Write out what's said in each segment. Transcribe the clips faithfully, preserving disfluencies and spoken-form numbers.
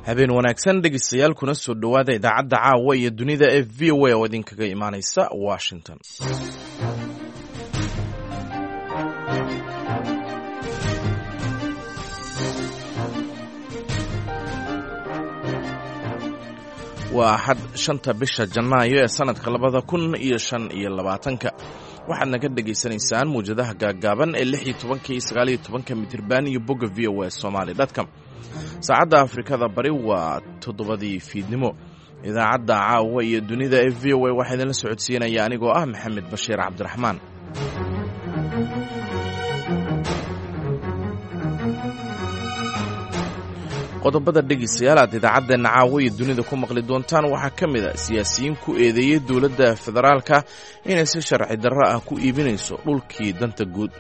Habeen wanaagsan, dhegeystayaal, kuna soo dhowaada idaacadda caawa iyo dunida ee V O A oo idinkaga imaaneysa Washington. Waa Axad, shanta bisha Janaayo ee sanadka labada kun iyo shan iyo labaatanka. Waxaad naga dhegaysanaysaan muwjadaha gaaggaaban ee lix iyo tobanka iyo sagaal iyo tobanka mitirban iyo bogga V O A Somali dot com. Saacadda Afrikada Bari waa toddobadii fiidnimo. Idaacadda caawa iyo dunida ee V O A waxaa idinla socodsiinaya anigoo ah Maxamed Bashiir Cabdiraxmaan. Qodobada, dhegeystayaal, aad idaacaddeena caawa iyo dunida ku maqli doontaan waxaa ka mid a siyaasiyiin ku eedeeyey dowladda federaalka inay si sharci darro ah ku iibinayso dhulkii danta guud.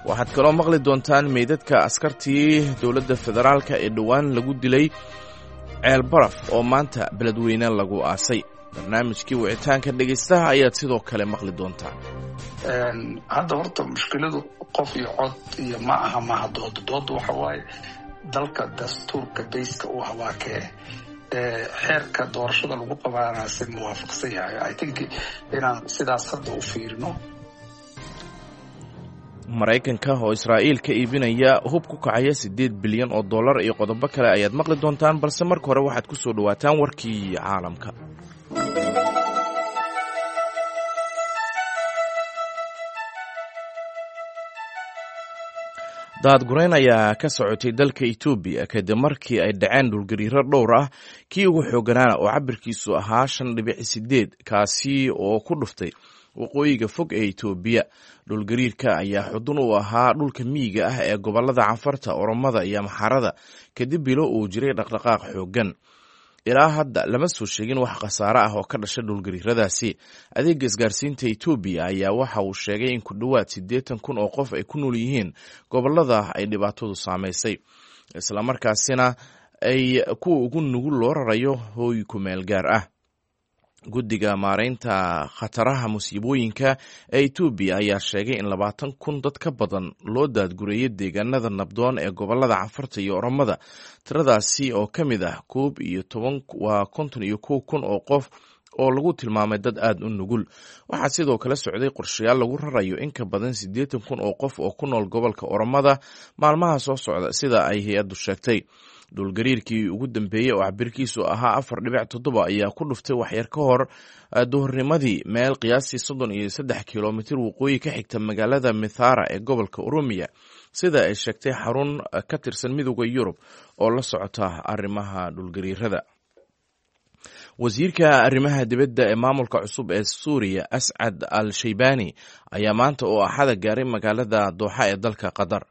Waxaad kaloo maqli doontaan meydadka askartii dowladda federaalka ee dhowaan lagu dilay Ceelbaraf oo maanta Beledweyne lagu aasay. Barnaamijkii wicitaanka dhegeystaha ayaad sidoo kale maqli doontaan. Hadda horta mushkiladu qof iyo cod iyo ma aha maaha dooda. Dooda waxa waaye dalka dastuurka bayska u ah waa kee, xeerka doorashada lagu qabaana si muwaafaqsan yahay? I think inaan sidaas hadda u fiirino. Maraykanka oo Israa'iil ka iibinaya hub ku kacaya siddeed bilyan oo dollar iyo qodobo kale ayaad maqli doontaan, balse marka hore waxaad ku soo dhowaataan warkii caalamka. Daadgurayn ayaa ka socotay dalka Etoobiya kadib markii ay dhaceen dhulgariiro dhowr ah, kii ugu xooganaana oo cabirkiisu ahaa shan dhibic sideed, kaasi oo ku dhuftay waqooyiga fog ee Etoobiya. Dhulgariirka ayaa xudun u ahaa dhulka miyiga ah ee gobolada Canfarta, Oromada iyo Amxaarada, kadib bilo uu jiray dhaqdhaqaaq xooggan. Ilaa hadda lama soo sheegin wax khasaare ah oo ka dhasha dhulgariiradaasi. Adeega isgaarsiinta Etoobiya ayaa waxa uu sheegay in ku dhowaad siddeetan kun oo qof ay ku nool yihiin gobolada ay dhibaatadu saamaysay, islamarkaasina ay kuwa ugu nugul loo rarayo hooy ku meel gaar ah. Guddiga maareynta khataraha musiibooyinka ee Etoobiya ayaa sheegay in labaatan kun dad ka badan loo daadgureeyay deegaanada nabdoon ee gobolada Canfarta iyo Oromada, tiradaasi oo ka mid ah koob iyo toban waa konton iyo kow kun oo qof oo lagu tilmaamay dad aada u nugul. Waxaa sidoo kale socday qorshayaal lagu rarayo in ka badan siddeetan kun oo qof oo ku nool gobolka Oromada maalmaha soo socda, sida ay hay-addu sheegtay. Dhulgariirkii ugu dambeeyey oo cabirkiisu ahaa afar dhibic toddoba ayaa ku dhuftay waxyar ka hor duhurnimadii meel qiyaastii soddon iyo saddex kilomitir waqooyi ka xigta magaalada Mithara ee gobolka Oromiya, sida ay sheegtay xarun ka tirsan Midooda Yurub oo la socota arrimaha dhulgariirada. Wasiirka arrimaha dibadda ee maamulka cusub ee Suuriya, Ascad al Shaybani, ayaa maanta oo Axada gaaray magaalada Dooxa ee dalka Qatar.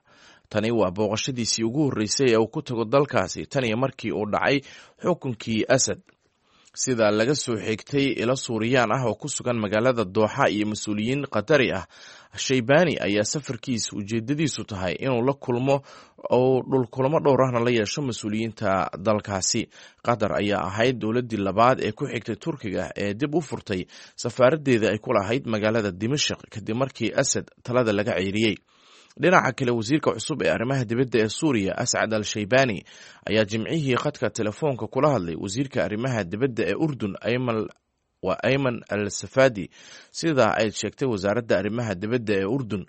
Tani waa booqashadiisii ugu horreysay ee uu ku tago dalkaasi tan iyo markii uu dhacay xukunkii Asad. Sida laga soo xigtay ilo Suuriyaan ah oo ku sugan magaalada Dooxa iyo mas-uuliyiin Qatari ah, Shaybani ayaa safarkiisa ujeedadiisu tahay inuu la kulmo oo dhulkulamo dhowr ahna la yeesho mas-uuliyiinta dalkaasi. Qatar ayaa ahayd dowladdii labaad ee ku xigtay Turkiga ee dib u furtay safaaraddeeda ay ku lahayd magaalada Dimashik kadib markii Asad talada laga ceyriyey. Dhinaca kale, wasiirka cusub ee arrimaha dibadda ee Suuriya, Ascad al Shaybani, ayaa Jimcihii khadka telefoonka kula hadlay wasiirka arrimaha dibadda ee Urdun, waa Ayman al Safadi, sida ay sheegtay wasaaradda arrimaha dibadda ee Urdun.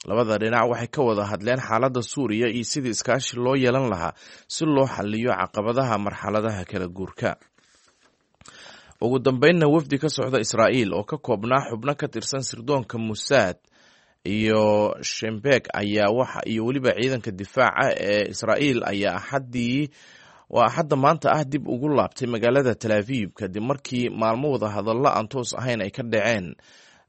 Labada dhinac waxay ka wada hadleen xaaladda Suuriya iyo sidii iskaashi loo yeelan lahaa si loo xaliyo caqabadaha marxaladaha kala guurka. Ugu dambeynna, wafdi ka socda Israa'iil oo ka koobnaa xubno ka tirsan sirdoonka Musaad iyo Shembek ayaa waxa iyo weliba ciidanka difaaca ee Israa'iil ayaa Axaddii, waa Axadda maanta ah, dib ugu laabtay magaalada Tel Aviv kadib markii maalmo wada hadallo aan toos ahayn ay ka dhaceen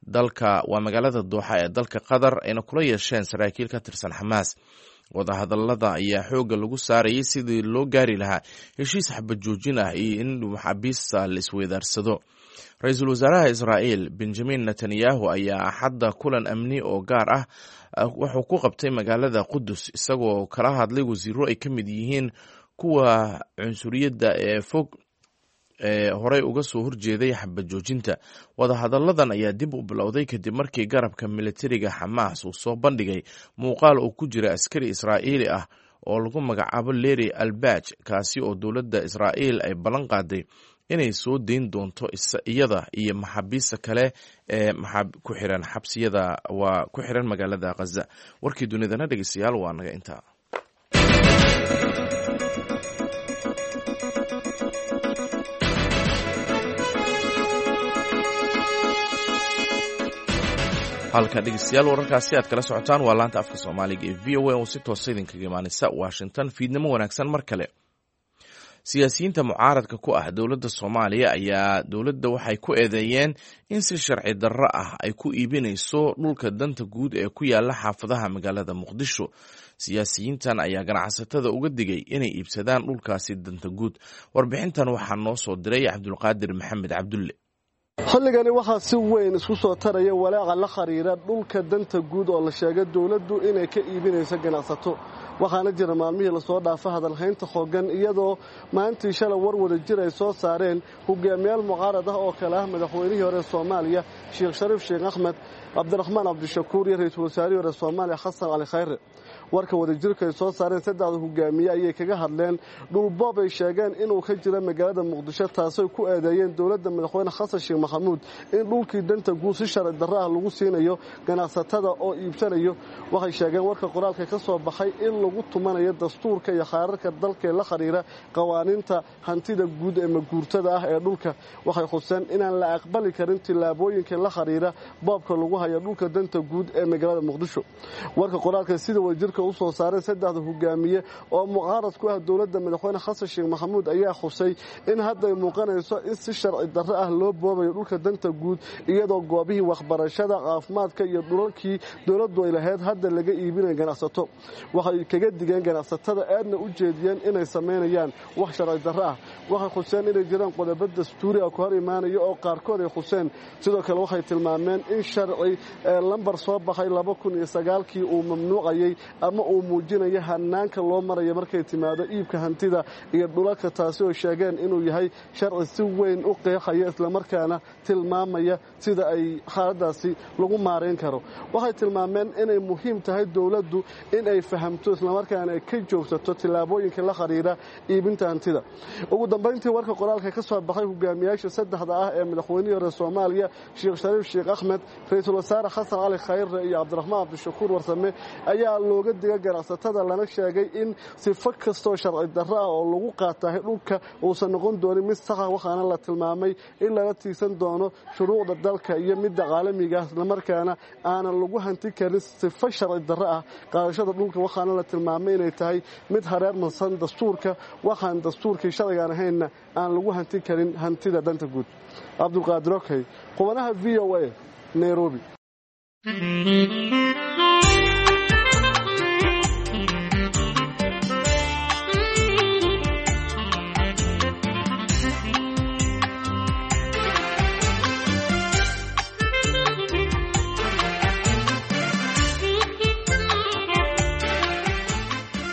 dalka, waa magaalada Dooxa ee dalka Qatar, ayna kula yeesheen saraakiil ka tirsan Xamaas. Wadahadallada ayaa xoogga lagu saarayay sidii loo gaari lahaa heshiis xabad joojin ah iyo in maxaabiista la isweydaarsado. Ra-iisul wasaaraha Israa'iil Benjamin Netanyahu ayaa Axadda kulan amni oo gaar ah wuxuu ku qabtay magaalada Qudus, isagoo kala hadlay wasiiro ay ka mid yihiin kuwa cunsuriyadda ee fog ee horey uga soo horjeeday xabad joojinta. Wadahadalladan ayaa dib u bilowday kadib markii garabka militariga Xamaas uu soo bandhigay muuqaal uu ku jira askari Israa'iili ah. oo lagu magacaabo Leri Albaj, kaasi oo dowladda Israa'iil ay ballan qaaday inay soo deyn doonto iyada iyo maxaabiista kale ee ku xiran xabsiyada waa ku xiran magaalada Khaza. Warkii dunidana dhegeystayaal waa naga intaa. Halka dhegeystayaal wararkaasi aad kala socotaan waa laanta afka Soomaaliga ee V O A oo si toosa idinkaga imaaneysa Washington. Fiidnimo wanaagsan mar kale. Siyaasiyiinta mucaaradka ku ah dowladda Soomaaliya ayaa dowladda waxay ku eedeeyeen in si sharci darro ah ay ku iibinayso dhulka danta guud ee ku yaala xaafadaha magaalada Muqdisho. Siyaasiyiintan ayaa ganacsatada uga digay inay iibsadaan dhulkaasi danta guud. Warbixintan waxaa noo soo diray Cabdulqaadir Maxamed Cabdulle. Xilligani waxaa si weyn isku soo taraya walaaca la xiriira dhulka danta guud oo la sheegay dowladdu inay ka iibinayso ganacsato. Waxaana jira maalmihii lasoo dhaafa hadalhaynta xooggan, iyadoo maalintii shalay war wada jir ay soo saareen hogaamiyaal mucaarad ah oo kale ah madaxweynihii hore Soomaaliya Sheekh Shariif Sheekh Axmed, Cabdiraxmaan Cabdishakuur iyo ra'iisul wasaarihii hore Soomaaliya Xasan Cali Khayre. Warka wadajirka ay soo saareen saddexda hogaamiye ayay kaga hadleen dhulboob ay sheegeen inuu ka jira magaalada Muqdisho, taasoo ku eedeeyeen dowladda madaxweyne Xasan Sheekh Maxamuud in dhulkii danta guud si sharci darro ah lagu siinayo ganacsatada oo iibsanayo. Waxay sheegeen warka qoraalka ka soo baxay in lagu tumanayo dastuurka iyo xeerarka dalka ee la xiriira qawaaniinta hantida guud ee maguurtada ah ee dhulka. Waxay xuseen inaan la aqbali karin tillaabooyinka la xiriira boobka lagu hayo dhulka danta guud ee magaalada Muqdisho. Warka qoraalka sida wadajirka u soo saareen saddexda hogaamiye oo mucaarad ku ah dowladda madaxweyne Xasan Sheekh Maxamuud ayaa xusay in hadda ay muuqanayso in si sharci darro ah loo boobayo dhulka danta guud, iyadoo goobihii waxbarashada, caafimaadka iyo dhulalkii dowladdu ay lahayd hadda laga iibinayo ganacsato. Waxay kaga digeen ganacsatada aadna u jeediyeen inay sameynayaan wax sharci darro ah. Waxay xuseen inay jiraan qodobo dastuuri ah ku hor imaanaya oo qaarkood ay xuseen. Sidoo kale waxay tilmaameen in sharci lambar soo baxay laba kun iyo sagaalkii uu mamnuucayay ama uu muujinayo hanaanka loo marayo markay timaado iibka hantida iyo dhulalka, taasi oo sheegeen inuu yahay sharci si weyn u qeexaya islamarkaana tilmaamaya sida ay xaaladaasi lagu maareyn karo. Waxay tilmaameen inay muhiim tahay dowladdu in ay fahamto islamarkaana ay ka joogsato tillaabooyinka la xiriira iibinta hantida. Ugu dambeyntii warka qoraalka ka soo baxay hogaamiyaasha saddexda ah ee madaxweynihii hore Soomaaliya Sheekh Shariif Sheekh Axmed, ra'iisul wasaare Xasan Cali Khayre iyo Cabdiraxmaan Cabdishakuur Warsame ayaa looga digay ganacsatada, lana sheegay in sifo kastoo sharci darro ah oo lagu qaatahay dhulka uusan noqon doonin mid sax ah. Waxaana la tilmaamay in lala tiigsan doono shuruucda dalka iyo midda caalamiga ah, islamarkaana aanan lagu hanti karin sifo sharci darro ah qaadashada dhulka. Waxaana la tilmaamay inay tahay mid hareer marsan dastuurka, waxaan dastuurkii sharcigaan ahaynna aan lagu hanti karin hantida danta guud. Cabdulqaadir Okey, qubanaha V O A, Nairobi.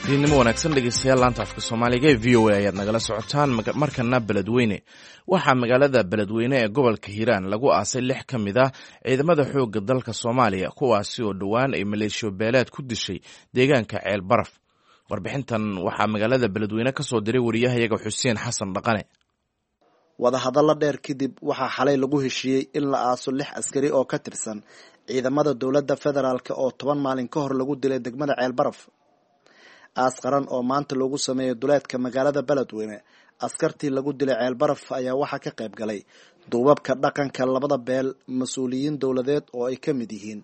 Fiidnimo wanaagsan dhegeystayaal, laanta afka Soomaaliga ee V O A ayaad nagala socotaan. Markana Beledweyne. Waxaa magaalada Beledweyne ee gobolka Hiiraan lagu aasay lix ka mid ah ciidamada xoogga dalka Soomaaliya, kuwaasi oo dhowaan ay maleeshiyo beeleed ku dishay deegaanka Ceel Baraf. Warbixintan waxaa magaalada Beledweyne ka soo diray wariyahayaga Xuseen Xasan Dhaqane. Wadahadallo dheer kadib waxaa xalay lagu heshiiyey in la aaso lix askari oo ka tirsan ciidamada dowladda federaalk oo toban maalin ka hor lagu dilay degmada Ceel Baraf. Aas qaran oo maanta loogu sameeyey duleedka magaalada Beledweyne askartii lagu dilay Ceel Baraf ayaa waxaa ka qayb galay duubabka dhaqanka labada beel, mas-uuliyiin dowladeed oo ay ka mid yihiin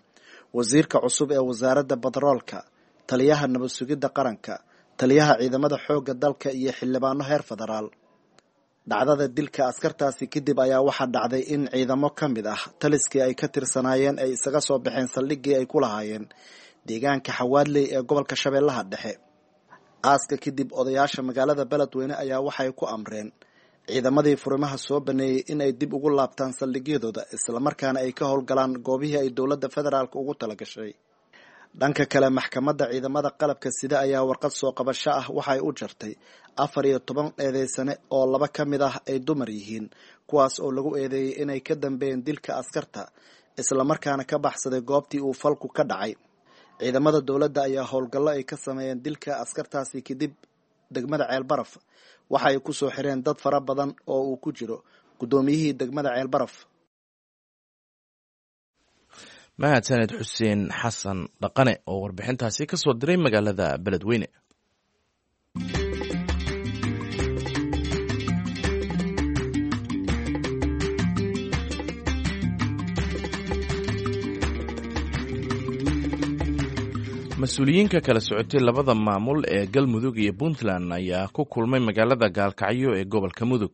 wasiirka cusub ee wasaaradda batroolka, taliyaha nabad sugidda qaranka, taliyaha ciidamada xoogga dalka iyo xildhibaano heer federaal. Dhacdada dilka askartaasi kadib ayaa waxaa dhacday in ciidamo ka mid ah taliskii ay ka tirsanaayeen ay isaga soo baxeen saldhiggii ay ku lahaayeen deegaanka Xawaadley ee gobolka Shabeellaha Dhexe. Aaska kadib odayaasha magaalada Beledweyne ayaa waxay ku amreen ciidamadii furimaha soo baneeyey in ay dib ugu laabtaan saldhigyadooda, islamarkaana ay ka howlgalaan goobihii ay dowladda federaalk ugu talagashay. Dhanka kale, maxkamadda ciidamada qalabka sida ayaa warqad soo qabasho ah waxay u jartay afar iyo toban eedeysane oo laba ka mid ah ay dumar yihiin, kuwaas oo lagu eedeeyey inay ka dambeeyeen dilka askarta, islamarkaana ka baxsaday goobtii uu falku ka dhacay. Ciidamada dowladda ayaa howlgallo ay ka sameeyeen dilka askartaasi kadib degmada Ceelbaraf waxa ay ku soo xireen dad fara badan oo uu ku jiro guddoomiyihii degmada Ceelbaraf. Mahadsaned Xuseen Xasan Dhaqane oo warbixintaasi ka soo diray magaalada Beledweyne. Mas-uuliyiinka kala socotay labada maamul ee Galmudug iyo Puntland ayaa ku kulmay magaalada Gaalkacyo ee gobolka Mudug.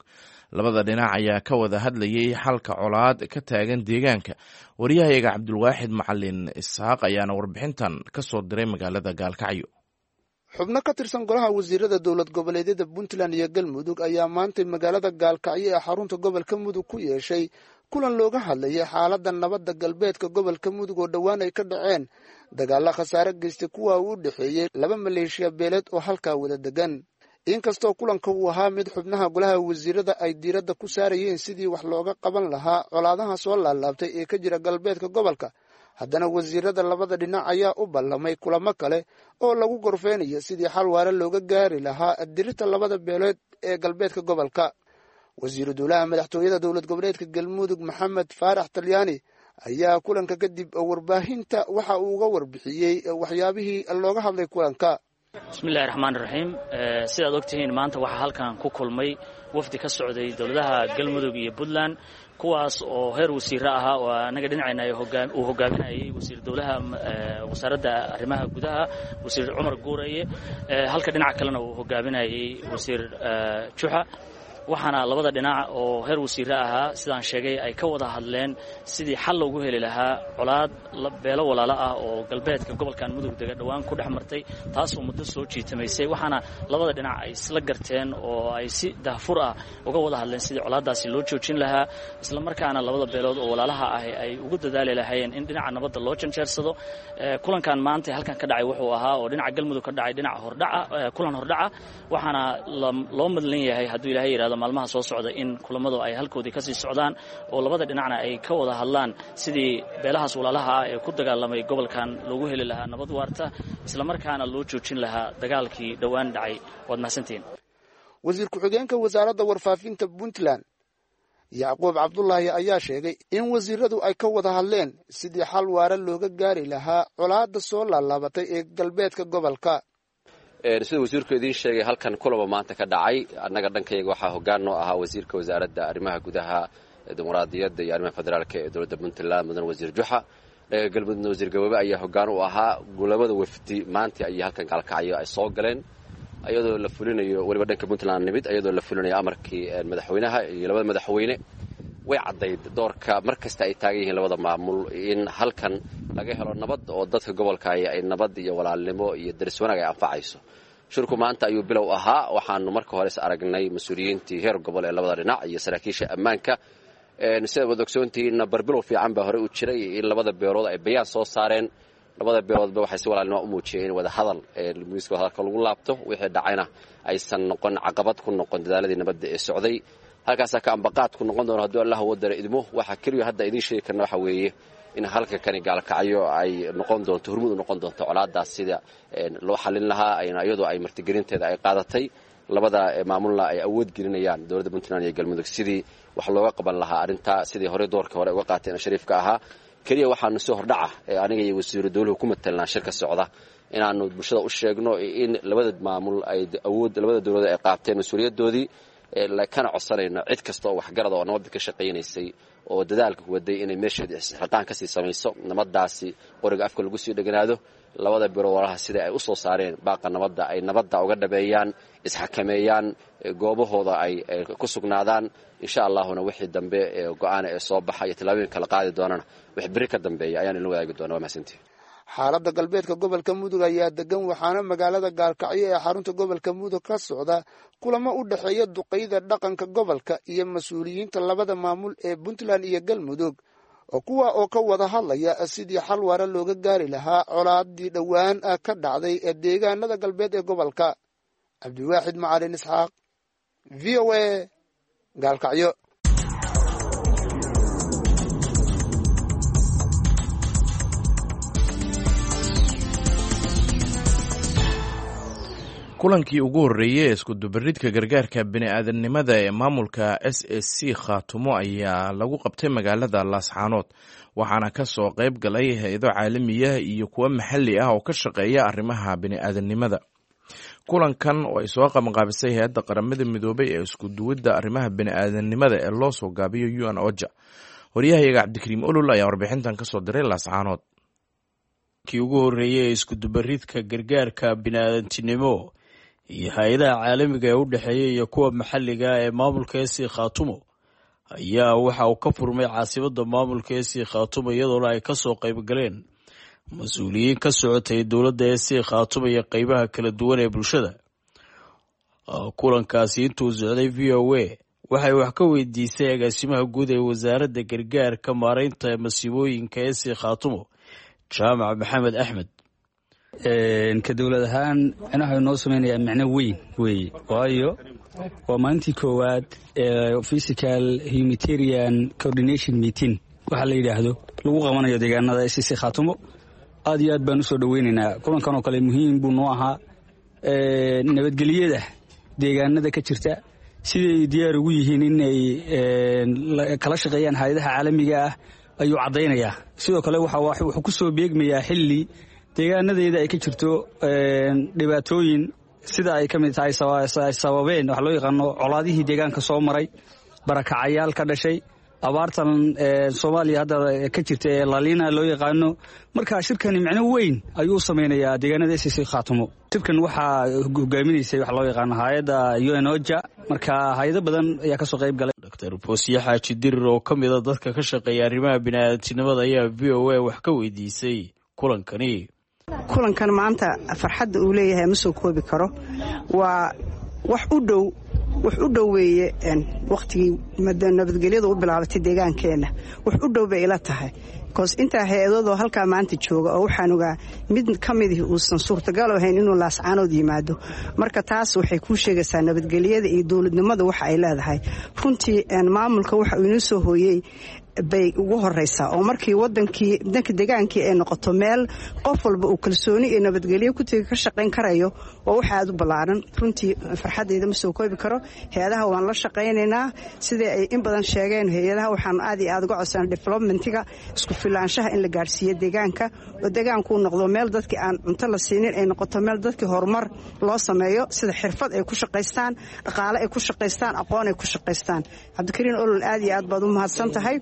Labada dhinac ayaa ka wada hadlayay xalka colaad ka taagan deegaanka. Wariyahayaga Cabdulwaaxid Macalin Isxaaq ayaana warbixintan ka soo diray magaalada Gaalkacyo. Xubno ka tirsan golaha wasiirada dowlad goboleedyada Puntland iyo Galmudug ayaa maantay magaalada Gaalkacyo ee xarunta gobolka Mudug ku yeeshay kulan looga hadlayay xaaladda nabadda galbeedka gobolka Mudug oo dhowaan ay ka dhaceen dagaalla khasaare geystay kuwa uu u dhexeeyey laba maleeshiya beeleed oo halkaa wada degan. Inkastoo kulanka uu ahaa mid xubnaha golaha wasiirada ay diiradda ku saarayeen sidii wax looga qaban lahaa colaadaha soo laalaabtay ee ka jira galbeedka gobolka, haddana wasiirada labada dhinac ayaa u ballamay kulamo kale oo lagu gorfeynayo sidii xal waare looga gaari lahaa dirirta labada beeleed ee galbeedka gobolka. Wasiiru dowlaha madaxtooyada dowlad goboleedka Galmudug Maxamed Faarax Talyaani ayaa kulanka kadib warbaahinta waxa uu uga warbixiyey waxyaabihii looga hadlay kulanka. Bismillahi raxmaan raxiim. Sidaad ogtihiin, maanta waxaa halkan ku kulmay wafdi ka socday dowladaha Galmudug iyo Puntland, kuwaas oo heer wasiiro ahaa oo annaga dhinacayna uu hogaaminayay wasiir dowlaha wasaaradda arrimaha gudaha Wasiir Cumar Guuraye, halka dhinaca kalena uu hogaaminayay Wasiir Juxa. Waxaana labada dhinac oo heer wasiire ahaa, sidaan sheegay, ay ka wada hadleen sidii xal loogu heli lahaa colaad beelo walaalo ah oo galbeedka gobolkan Mudug dega dhowaan ku dhex martay, taasoo muddo soo jiitamaysay. Waxaana labada dhinac ay isla garteen oo ay si dahfur ah uga wada hadleen sidii colaaddaasi loo joojin lahaa, islamarkaana labada beelood oo walaalaha ahi ay ugu dadaali lahaayeen in dhinaca nabadda loo janjeersado. Kulankan maanta halkan ka dhacay wuxuu ahaa oo dhinaca Galmudug ka dhacay dhinaca hordhaca, kulan hordhaca. Waxaana loo madlan yahay, hadduu Ilaahay yidhahdo, maalmaha soo socda in kulamadu ay halkoodii kasii socdaan oo labada dhinacna ay ka wada hadlaan sidii beelahaas walaalaha ah ee ku dagaalamay gobolkan loogu heli lahaa nabad waarta, islamarkaana loo joojin lahaa dagaalkii dhowaan dhacay. Waad mahadsantihiin. Wasiir ku-xigeenka wasaaradda warfaafinta Puntland Yacquub Cabdulaahi ayaa sheegay in wasiiradu ay ka wada hadleen sidii xal waare looga gaari lahaa colaadda soo laalaabatay ee galbeedka gobolka. Sida wasiirku idiin sheegay, halkan kulaba maanta ka dhacay. Annaga dhankayga waxaa hoggaan noo ahaa wasiirka wasaaradda arrimaha gudaha, dimuqraadiyadda iyo arrimaha federaalka ee dowladda Puntland, mudan Wasiir Juxa. Dhanka Galmudugna Wasiir Gaboobe ayaa hoggaan u ahaa. Labada wafdi maanta ayay halkan Gaalkacyo ay soo galeen, iyadoo la fulinayo weliba dhanka Puntland nimid iyadoo la fulinayo amarkii madaxweynaha iyo labada madaxweyne. Way caddayd doorka mar kasta ay taagan yihiin labada maamul in halkan laga helo nabad oo dadka gobolka ay nabad iyo walaalnimo iyo daris wanaag ay anfacayso. Shirku maanta ayuu bilow ahaa. Waxaanu marka hore is aragnay mas-uuliyiintii heer gobol ee labada dhinac iyo saraakiisha ammaanka. Sidaad wad ogsoontihiinna, barbilow fiican baa horey u jiray in labada beelood ay bayaan soo saareen. Labada beeloodba waxay si walaalnimo u muujiyeen in wadahadal miiska wadahadalka lagu laabto, wixii dhacayna aysan noqon caqabad ku noqon dadaaladii nabadda ee socday. Halkaasaa ka ambaqaad ku noqon doono hadduu Allah wadara idmo. Waxaa keliya hadda idiin sheegi karna waxa weeye in halka kani Gaalkacyo ay noqon doonto hormud u noqon doonto colaadaas sida loo xalin lahaa, iyadoo ay martigelinteeda ay qaadatay labada maamulna ay awood gelinayaan dowladda Puntland iyo Galmudug sidii wax looga qaban lahaa arrintaa, sidii horey doorka hore uga qaateen shariifka ahaa. Keliya waxaanu si hordhaca aniga iyo wasiiru dowluhu ku matalnaa shirka socda inaanu bulshada u sheegno in labada maamul ay awood labada dowladood ay qaateen mas-uuliyadoodii, kana codsanayno cid kasta oo waxgarada oo nabadda ka shaqaynaysay oo dadaalka waday inay meesheeda isxilqaan kasii samayso, nabadaasi qoriga afka lagu sii dheganaado, labada biro walaha sida ay u soo saareen baaqa nabadda ay nabadda uga dhabeeyaan, isxakameeyaan, goobahooda ay ku sugnaadaan. Insha allahuna wixii dambe ee go-aana ee soo baxa iyo tallaabooyin kala qaadi doonana wix beri ka dambeeya ayaan idin wadaagi doona. Waa mahadsantihi. Xaaladda galbeedka gobolka Mudug ayaa degan, waxaana magaalada Gaalkacyo ee xarunta gobolka Mudug ka socda kulamo u dhexeeya duqeyda dhaqanka gobolka iyo mas-uuliyiinta labada maamul ee Puntland iyo Galmudug, kuwa oo ka wada hadlaya sidii xal waara looga gaari lahaa colaadii dhowaan ka dhacday ee deegaanada galbeed ee gobolka. Cabdiwaaxid Macalin Isxaaq, V O A, Gaalkacyo. Kulankii ugu horreeyey ee iskudubaridka gargaarka bini'aadanimada ee maamulka S S C Khaatumo ayaa lagu qabtay magaalada Laascaanood, waxaana ka soo qayb galay hay-ado caalamiya iyo kuwo maxalli ah oo ka shaqeeya arrimaha bini'aadanimada. Kulankan oo ay soo qabanqaabisay hay-adda Qaramada Midoobay ee iskuduwidda arrimaha bini'aadanimada ee loo soo gaabiyo U N OCHA. Waryahayaga Cabdikariim Olol ayaa warbixintan kasoo diray Laascaanood. Kii ugu horreeyey ee iskudubaridka gargaarka bini'aadantinimo iyo hay-adaha caalamiga ee u dhexeeya iyo kuwa maxalliga ee maamulka S C Khaatumo ayaa waxa uu ka furmay caasimadda maamulka S C Khaatumo, iyadoona ay kasoo qayb galeen mas-uuliyiin ka socotay dowladda S C Khaatumo iyo qeybaha kala duwan ee bulshada. Kulankaasi intuu socday V O A waxay wax ka weydiisay agaasimaha guud ee wasaaradda gargaarka maareynta masiibooyinka S C Khaatumo, Jaamac Maxamed Axmed. Ka dowlad ahaan micnaha inoo samaynayaa micno weyn weeye, waayo waa maalintii koowaad ee physical humanitarian coordination meeting waxaa la yidhaahdo lagu qabanayo deegaanada S C Khaatumo. Aad iyo aad baan usoo dhoweynaynaa kulankan oo kale, muhiim buu noo ahaa. Nabadgelyada deegaanada ka jirta siday diyaar ugu yihiin inay kala shaqeeyaan hay-adaha caalamiga ah ayuu caddaynayaa. Sidoo kale wuxuu ku soo beegmayaa xilli deegaanadeeda ay ka jirto dhibaatooyin, sida ay ka mid tahay ay sababeen waxa loo yaqaano colaadihii deegaanka soo maray, barakacayaal ka dhashay, abaartan Soomaaliya hadda ka jirta ee lalina loo yaqaano. Marka shirkani micno weyn ayuu u samaynayaa deegaanada S C Khaatumo. Shirkan waxaa hogaaminaysay waxa loo yaqaano hay-adda U N OCHA, marka hay-ado badan ayaa kasoo qayb galay. Doctor Boosiye Xaaji Dirir oo ka mid a dadka ka shaqeeya arrimaha bini'aadantinimada ayaa V O A wax ka weydiisay kulankani. Kulankan maanta farxadda uu leeyahay ma soo koobi karo. Waa wax u dhow, wax u dhow weeye wakhtigii nabadgelyadu u bilaabatay deegaankeenna. Wax u dhow bay ila tahay, because intaa hay-adoodoo halkaa maanta jooga oo waxaan ogaa mid ka midih uusan suurtagal ahayn inuu Laascaanood yimaado. Marka taas waxay kuu sheegaysaa nabadgelyada iyo dowladnimada waxa ay leedahay. Runtii maamulka waxa uu inoo soo hooyey bay ugu horeysaa, oo markii wadankii danka degaankii ay noqoto meel qof walba uu kalsooni iyo nabadgelyo ku tegi ka shaqayn karayo, waa wax aad u ballaaran. Runtii farxaddayda ma soo koobi karo. Hay-adaha waan la shaqaynaynaa sidai ay in badan sheegeen. Hay-adaha waxaan aad iyo aad uga codsanay developmentiga isku filaanshaha in la gaadhsiiyo deegaanka, oo deegaankuu noqdo meel dadkii aan cunto la siinin ay noqoto meel dadkii horumar loo sameeyo, sida xirfad ay ku shaqaystaan, dhaqaale ay ku shaqaystaan, aqoon ay ku shaqaystaan. Cabdikariin Olol, aad iyo aad baad u mahadsan tahay.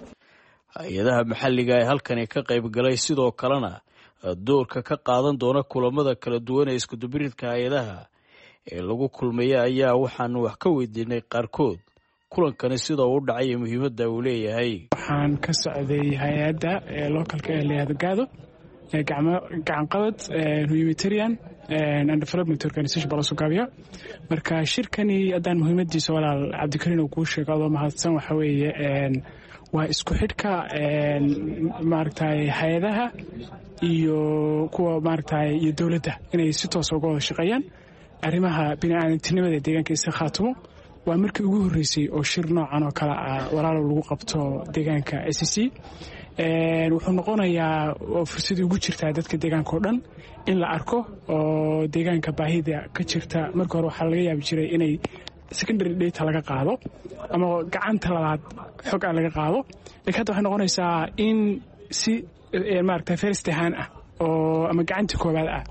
Hay-adaha maxalliga ee halkani ka qayb galay sidoo kalena doorka ka qaadan doona kulamada kala duwan ee iskudubiridka hay-adaha ee lagu kulmaya ayaa waxaanu wax ka weydiinay qaarkood kulankani sida uu u dhacay iyo muhiimadda uu leeyahay. Waxaan ka socday hay-adda localka ee layihahdo GADO, Gacanqabad Humanitarian and Development Organization baa lasoo gaabiya. Marka shirkani haddaan muhiimadiisa, walaal Cabdikariin, uu kuu sheego adoo mahadsan, waxa weeye waa isku xidhka maaragtay hay-adaha iyo kuwa maaragtay iyo dowladda inay si toosa uga wada shaqeeyaan arrimaha bini'aadantinimada ee deegaanka S C Khaatumo. Waa markii ugu horreysay oo shir noocan oo kale ah, walaalow, lagu qabto deegaanka S C. Wuxuu noqonayaa oo fursad ugu jirtaa dadka deegaanka oo dhan in la arko oo deegaanka baahida ka jirta. Marka hore waxaa laga yaabi jiray inay secondary data laga qaado ama gacanta labaad xog ah laga qaado, lakiin hadda waxay noqonaysaa in si maaragta first hand ah oo ama gacanta koowaad ah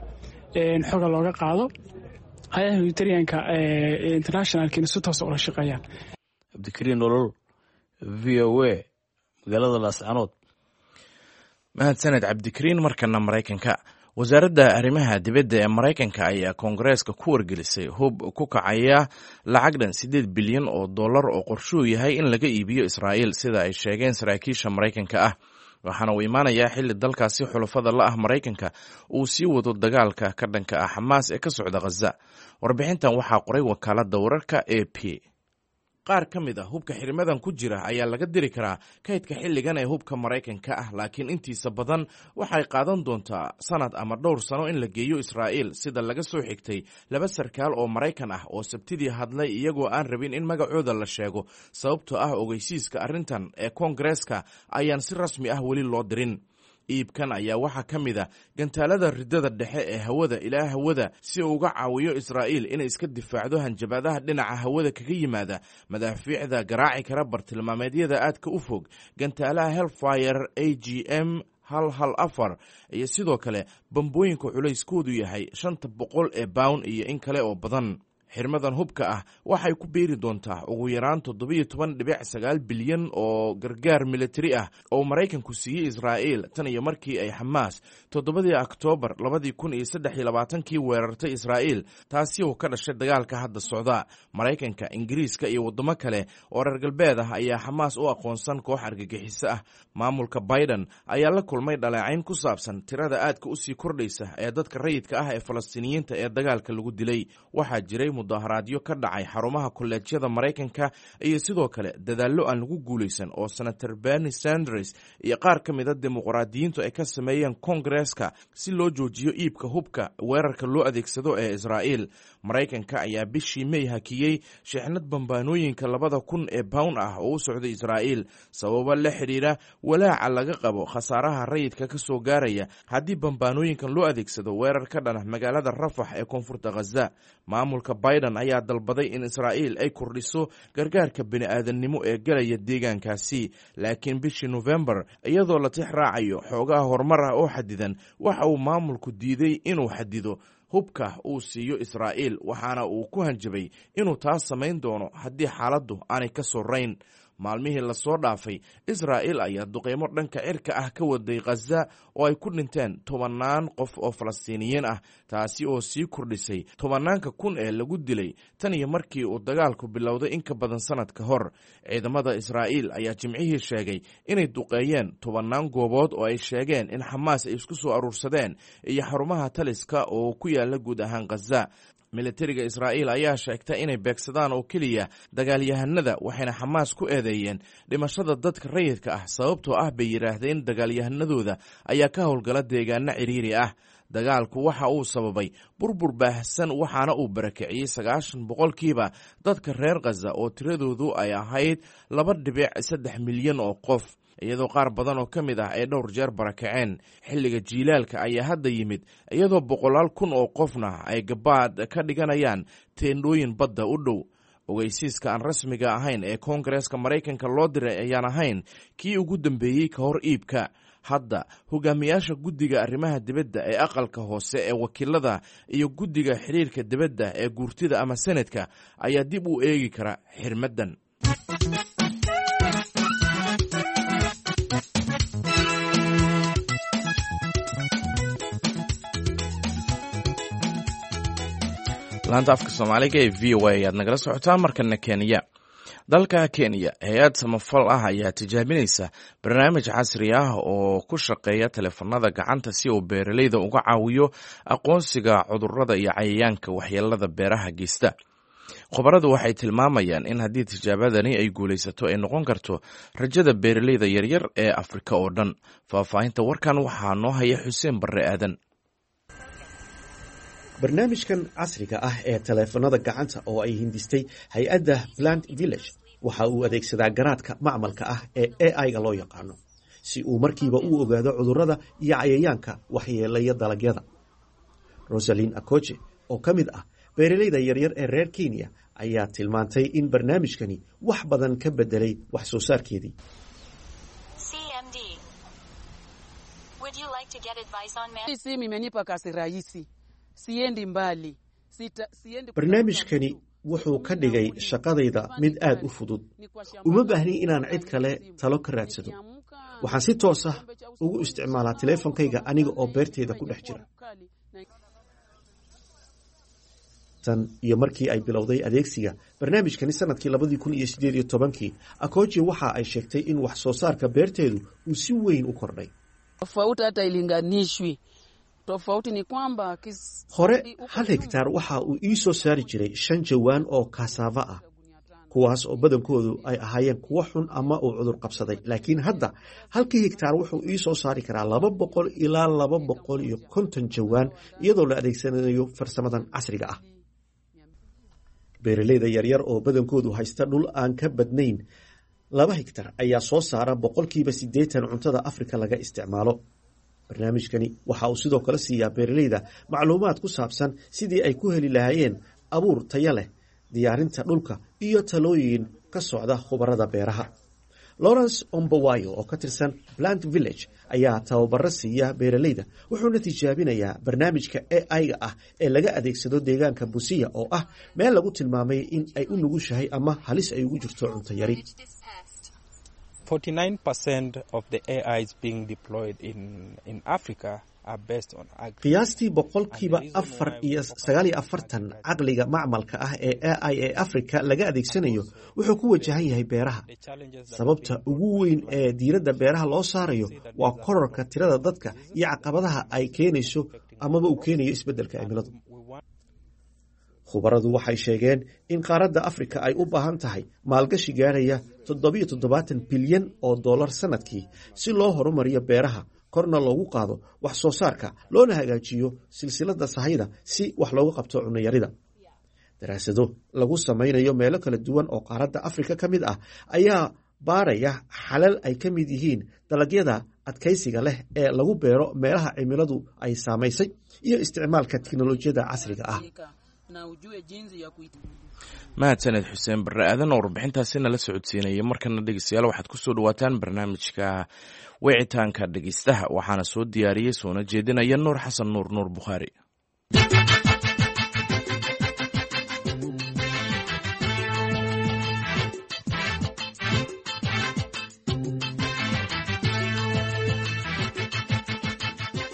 xoga looga qaado, hay-adaha humanitarianka internationalkiina si toosa ula shaqeeyaan. Cabdikariin Nolol, V O A, magaalada Laascanood. Mahadsaned, Cabdikariin. Markana Maraykanka. Wasaaradda arrimaha dibadda ee Maraykanka ayaa Koongareeska ku wargelisay hub ku kacaya lacag dhan siddeed bilyan oo dollar oo qorshuhu yahay in laga iibiyo Israa'iil, sida ay sheegeen saraakiisha Maraykanka ah. Waxaana uu imaanayaa xilli dalkaasi xulafada la ah Maraykanka uu sii wado dagaalka ka dhanka ah Xamaas ee ka socda Khaza. Warbixintan waxaa qoray wakaaladda wararka A P. Qaar ka mid ah hubka xirimadan ku jira ayaa laga diri karaa kaydka xilligan ee hubka Maraykanka ah, laakiin intiisa badan waxay qaadan doontaa sanad ama dhowr sano in la geeyo Israa'iil, sida laga soo xigtay laba sarkaal oo Maraykan ah oo Sabtidii hadlay iyagoo aan rabin in magacooda la sheego, sababtoo ah ogeysiiska arrintan ee Koongareeska ayaan si rasmi ah weli loo dirin. Iibkan ayaa waxaa ka mid a gantaalada riddada dhexe ee hawada ilaa hawada si uu uga caawiyo Israa'iil inay iska difaacdo hanjabaadaha dhinaca hawada kaga yimaada, madaafiicda garaaci kara bartilmaameedyada aadka u fog, gantaalaha Hellfire A G M hal hal afar iyo sidoo kale bambooyinka culayskoodu yahay shanta boqol ee bawn iyo in kale oo badan. Xirmadan hubka ah waxay ku biiri doontaa ugu yaraan toddobiyo toban dhibic sagaal bilyan oo gargaar militari ah oo Maraykanku siiyey Israa'iil tan iyo markii ay Xamaas toddobadii Oktoobar labadii kun iyo saddex iyo labaatankii weerartay Israa'iil, taasi oo ka dhashay dagaalka hadda socda. Maraykanka, Ingiriiska iyo waddamo kale oo reer galbeed ah ayaa Xamaas u aqoonsan koox argagixiso ah. Maamulka Biden ayaa la kulmay dhaleecayn ku saabsan tirada aadka usii kordhaysa ee dadka rayidka ah ee Falastiiniyiinta ee dagaalka lagu dilay. Waxaa jiray mudaharaadyo ka dhacay xarumaha kolleejyada Maraykanka iyo sidoo kale dadaallo aan lagu guulaysan oo Senator Bernie Sanders iyo qaar ka mida dimuqraadiyiintu ay ka sameeyeen Koongareeska si loo joojiyo iibka hubka weerarka loo adeegsado ee Israa'iil. Maraykanka ayaa bishii May hakiyey shixnad bambaanooyinka labada kun ee bawn ah oo u socday Israa'iil sababo la xidhiira walaaca laga qabo khasaaraha rayidka ka soo gaaraya haddii bambaanooyinkan loo adeegsado weerar ka dhana magaalada Rafax ee koonfurta Khaza. Maamulka Biden ayaa dalbaday in Israa'iil ay kordhiso gargaarka bini'aadannimo ee galaya deegaankaasi, laakiin bishii Nofembar, iyadoo la tix raacayo xoogaha horumar ah oo xadidan, waxa uu maamulku diiday inuu xadido hubka uu siiyo Israa'iil, waxaana uu ku hanjabay inuu taas samayn doono haddii xaaladdu aanay ka sorayn. Maalmihii lasoo dhaafay, Israa'iil ayaa duqeymo dhanka cirka ah ka waday Khaza oo ay ku dhinteen tobannaan qof oo Falastiiniyiin ah, taasi oo sii kordhisay tobannaanka kun ee lagu dilay tan iyo markii uu dagaalku bilowday in ka badan sanad ka hor. Ciidamada Israa'iil ayaa Jimcihii sheegay inay duqeeyeen tobannaan goobood oo ay sheegeen in Xamaas ay isku soo aruursadeen iyo xarumaha taliska oo ku yaala guud ahaan Khaza. Militariga Israa'iil ayaa sheegta inay beegsadaan oo keliya dagaalyahanada, waxayna Xamaas ku eedeeyeen dhimashada dadka rayidka ah, sababtoo ah bay yidhaahdeen dagaalyahanadooda ayaa ka howlgala deegaano cidhiiri ah. Dagaalku waxa uu sababay burbur baahsan, waxaana uu barakiciyey sagaashan boqolkiiba dadka reer Khaza oo tiradoodu ay ahayd laba dhibic saddex milyan oo qof, iyadoo qaar badan oo ka mid ah ay dhowr jeer barakaceen. Xilliga jiilaalka ayaa hadda yimid, iyadoo boqolaal kun oo qofna ay gabaad ka dhiganayaan teendhooyin badda u dhow. Ogeysiiska aan rasmiga ahayn ee Koongareeska Maraykanka loo diray ayaan ahayn kii ugu dambeeyey ka hor iibka. Hadda hogaamiyaasha guddiga arrimaha dibadda ee aqalka hoose ee wakiilada iyo guddiga xiriirka dibadda ee guurtida ama senadka ayaa dib u eegi kara xirmaddan. Laanta afka Soomaaliga ee V O A ayaad nagala socotaa. Markana Kenya. Dalka Kenya, hay-ad samafal ah ayaa tijaabinaysa barnaamij casri ah oo ku shaqeeya taleefanada gacanta si uu beeraleyda uga caawiyo aqoonsiga cudurrada iyo cayayaanka waxyeelada beeraha geysta. Khubaradu waxay tilmaamayaan in haddii tijaabadani ay guulaysato ay noqon karto rajada beeraleyda yaryar ee Afrika oo dhan. Faahfaahinta warkan waxaa noo haya Xuseen Barre Aadan. Barnaamijkan casriga ah ee taleefanada gacanta oo ay hindistay hay-adda Plant Village waxa uu adeegsadaa garaadka macmalka ah ee A I-ga loo yaqaano si uu markiiba u ogaado cudurrada iyo cayayaanka waxyeelaya dalagyada. Rosalin Akoje oo ka mid ah beeraleyda yaryar ee reer Kenya ayaa tilmaantay in barnaamijkani wax badan ka bedelay wax soo saarkeedii. Barnaamijkani wuxuu ka dhigay shaqadayda mid aad u fudud. Uma baahni inaan cid kale talo ka raadsado. Waxaan si toos ah ugu isticmaalaa teleefonkayga aniga oo beertayda ku dhex jira. Tan iyo markii ay bilowday adeegsiga barnaamijkani sanadkii labadii kun iyo sideed iyo tobankii, Akoji waxa ay sheegtay in wax soo saarka beerteedu uu si weyn u kordhay. Hore hal hegtaar waxa uu ii soo saari jiray shan jawaan oo kasaava ah, kuwaas oo badankoodu ay ahaayeen kuwo xun ama uu cudur qabsaday, laakiin hadda halkii hegtaar wuxuu ii soo saari karaa laba boqol ilaa laba boqol iyo konton jawaan iyadoo la adeegsanayo farsamadan casriga ah. Beeraleyda yaryar oo badankoodu haysta dhul aan ka badnayn laba hegtar ayaa soo saara boqolkiiba siddeetan cuntada Afrika laga isticmaalo. Barnaamijkani waxa uu sidoo kale siiyaa beeraleyda macluumaad ku saabsan sidii ay ku heli lahaayeen abuur taya leh, diyaarinta dhulka iyo talooyin ka socda khubarada beeraha. Lawrence Ombowayo oo ka tirsan Plant Village ayaa tababaro siiya beeraleyda, wuxuuna tijaabinayaa barnaamijka A I-ga ah ee laga adeegsado deegaanka Busia, oo ah meel lagu tilmaamay in ay u nugushahay ama halis ay ugu jirto cunto yari. forty-nine percent of the A Is being deployed in, in Africa are based on Qiyaastii boqolkiiba afar iyo sagaal iyo afartan caqliga macmalka ah ee A I ee Africa laga adeegsanayo wuxuu ku wajahan yahay beeraha. Sababta ugu weyn ee diiradda beeraha loo saarayo waa kororka tirada dadka iyo caqabadaha ay keenayso amaba uu keenayo isbeddelka cimiladu. Khubaradu waxay sheegeen in qaaradda Afrika ay u baahan tahay maalgashi gaarhaya toddobiyo toddobaatan bilyan oo dollar sanadkii si loo horumariyo beeraha, korna loogu qaado wax soo saarka, loona hagaajiyo silsiladda sahayda si wax looga qabto cunayarida. Daraasado lagu samaynayo meelo kala duwan oo qaaradda Afrika ka mid ah ayaa baaraya xalal ay ka mid yihiin dalagyada adkaysiga leh ee lagu beero meelaha cimiladu ay saamaysay iyo isticmaalka tiknolojiyadda casriga ah. Mahadsaned Xuseen Barre Aadan oo warbixintaasi nala socodsiinayay. Markana dhegeystayaal, waxaad kusoo dhawaataan barnaamijka wicitaanka dhegeystaha. Waxaana soo diyaariyey soona jeedinaya Nuur Xasan Nuur, Nuur Bukhaari.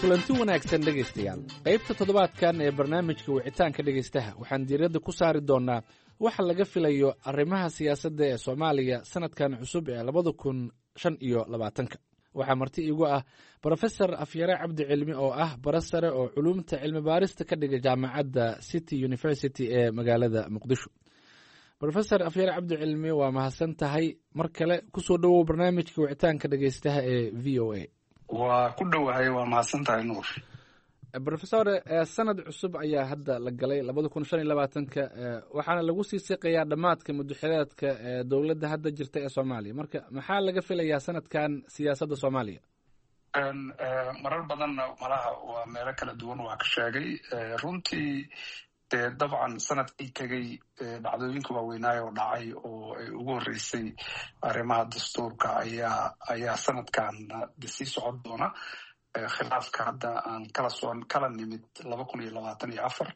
Kulanti wanaagsan dhegaystayaal. Qaybta toddobaadkan ee barnaamijka wicitaanka dhegaystaha waxaan diiradda ku saari doonnaa waxa laga filayo arrimaha siyaasadda ee Soomaaliya sanadkan cusub ee labada kun shan iyo labaatanka. Waxaa marti iigu ah Brofesor Afyare Cabdi Cilmi, oo ah bara sare oo culuumta cilmi baarista ka dhiga jaamacadda City University ee magaalada Muqdisho. Brofesor Afyare Cabdi Cilmi, waa mahadsan tahay. Mar kale kusoo dhowow barnaamijka wicitaanka dhegaystaha ee V O A. Waa ku dhowahay, waa mahadsan tahay, Nuur. Brofesor, sanad cusub ayaa hadda la galay, labada kun shan iyo labaatanka, waxaana lagu sii siqayaa dhammaadka muddoxileedka ee dowladda hadda jirta ee Soomaaliya. Marka maxaa laga filayaa sanadkan siyaasadda Soomaaliya? Marar badanna malaha waa meelo kala duwan waa ka sheegay runtii. Dee dabcan sanadkii tegey dhacdooyinka waaweynaayo oo dhacay oo ay ugu horreysay arrimaha dastuurka ayaa ayaa sanadkan sii socon doona. Khilaafka hadda aan kala soo kala nimid laba kun iyo labaatan iyo afar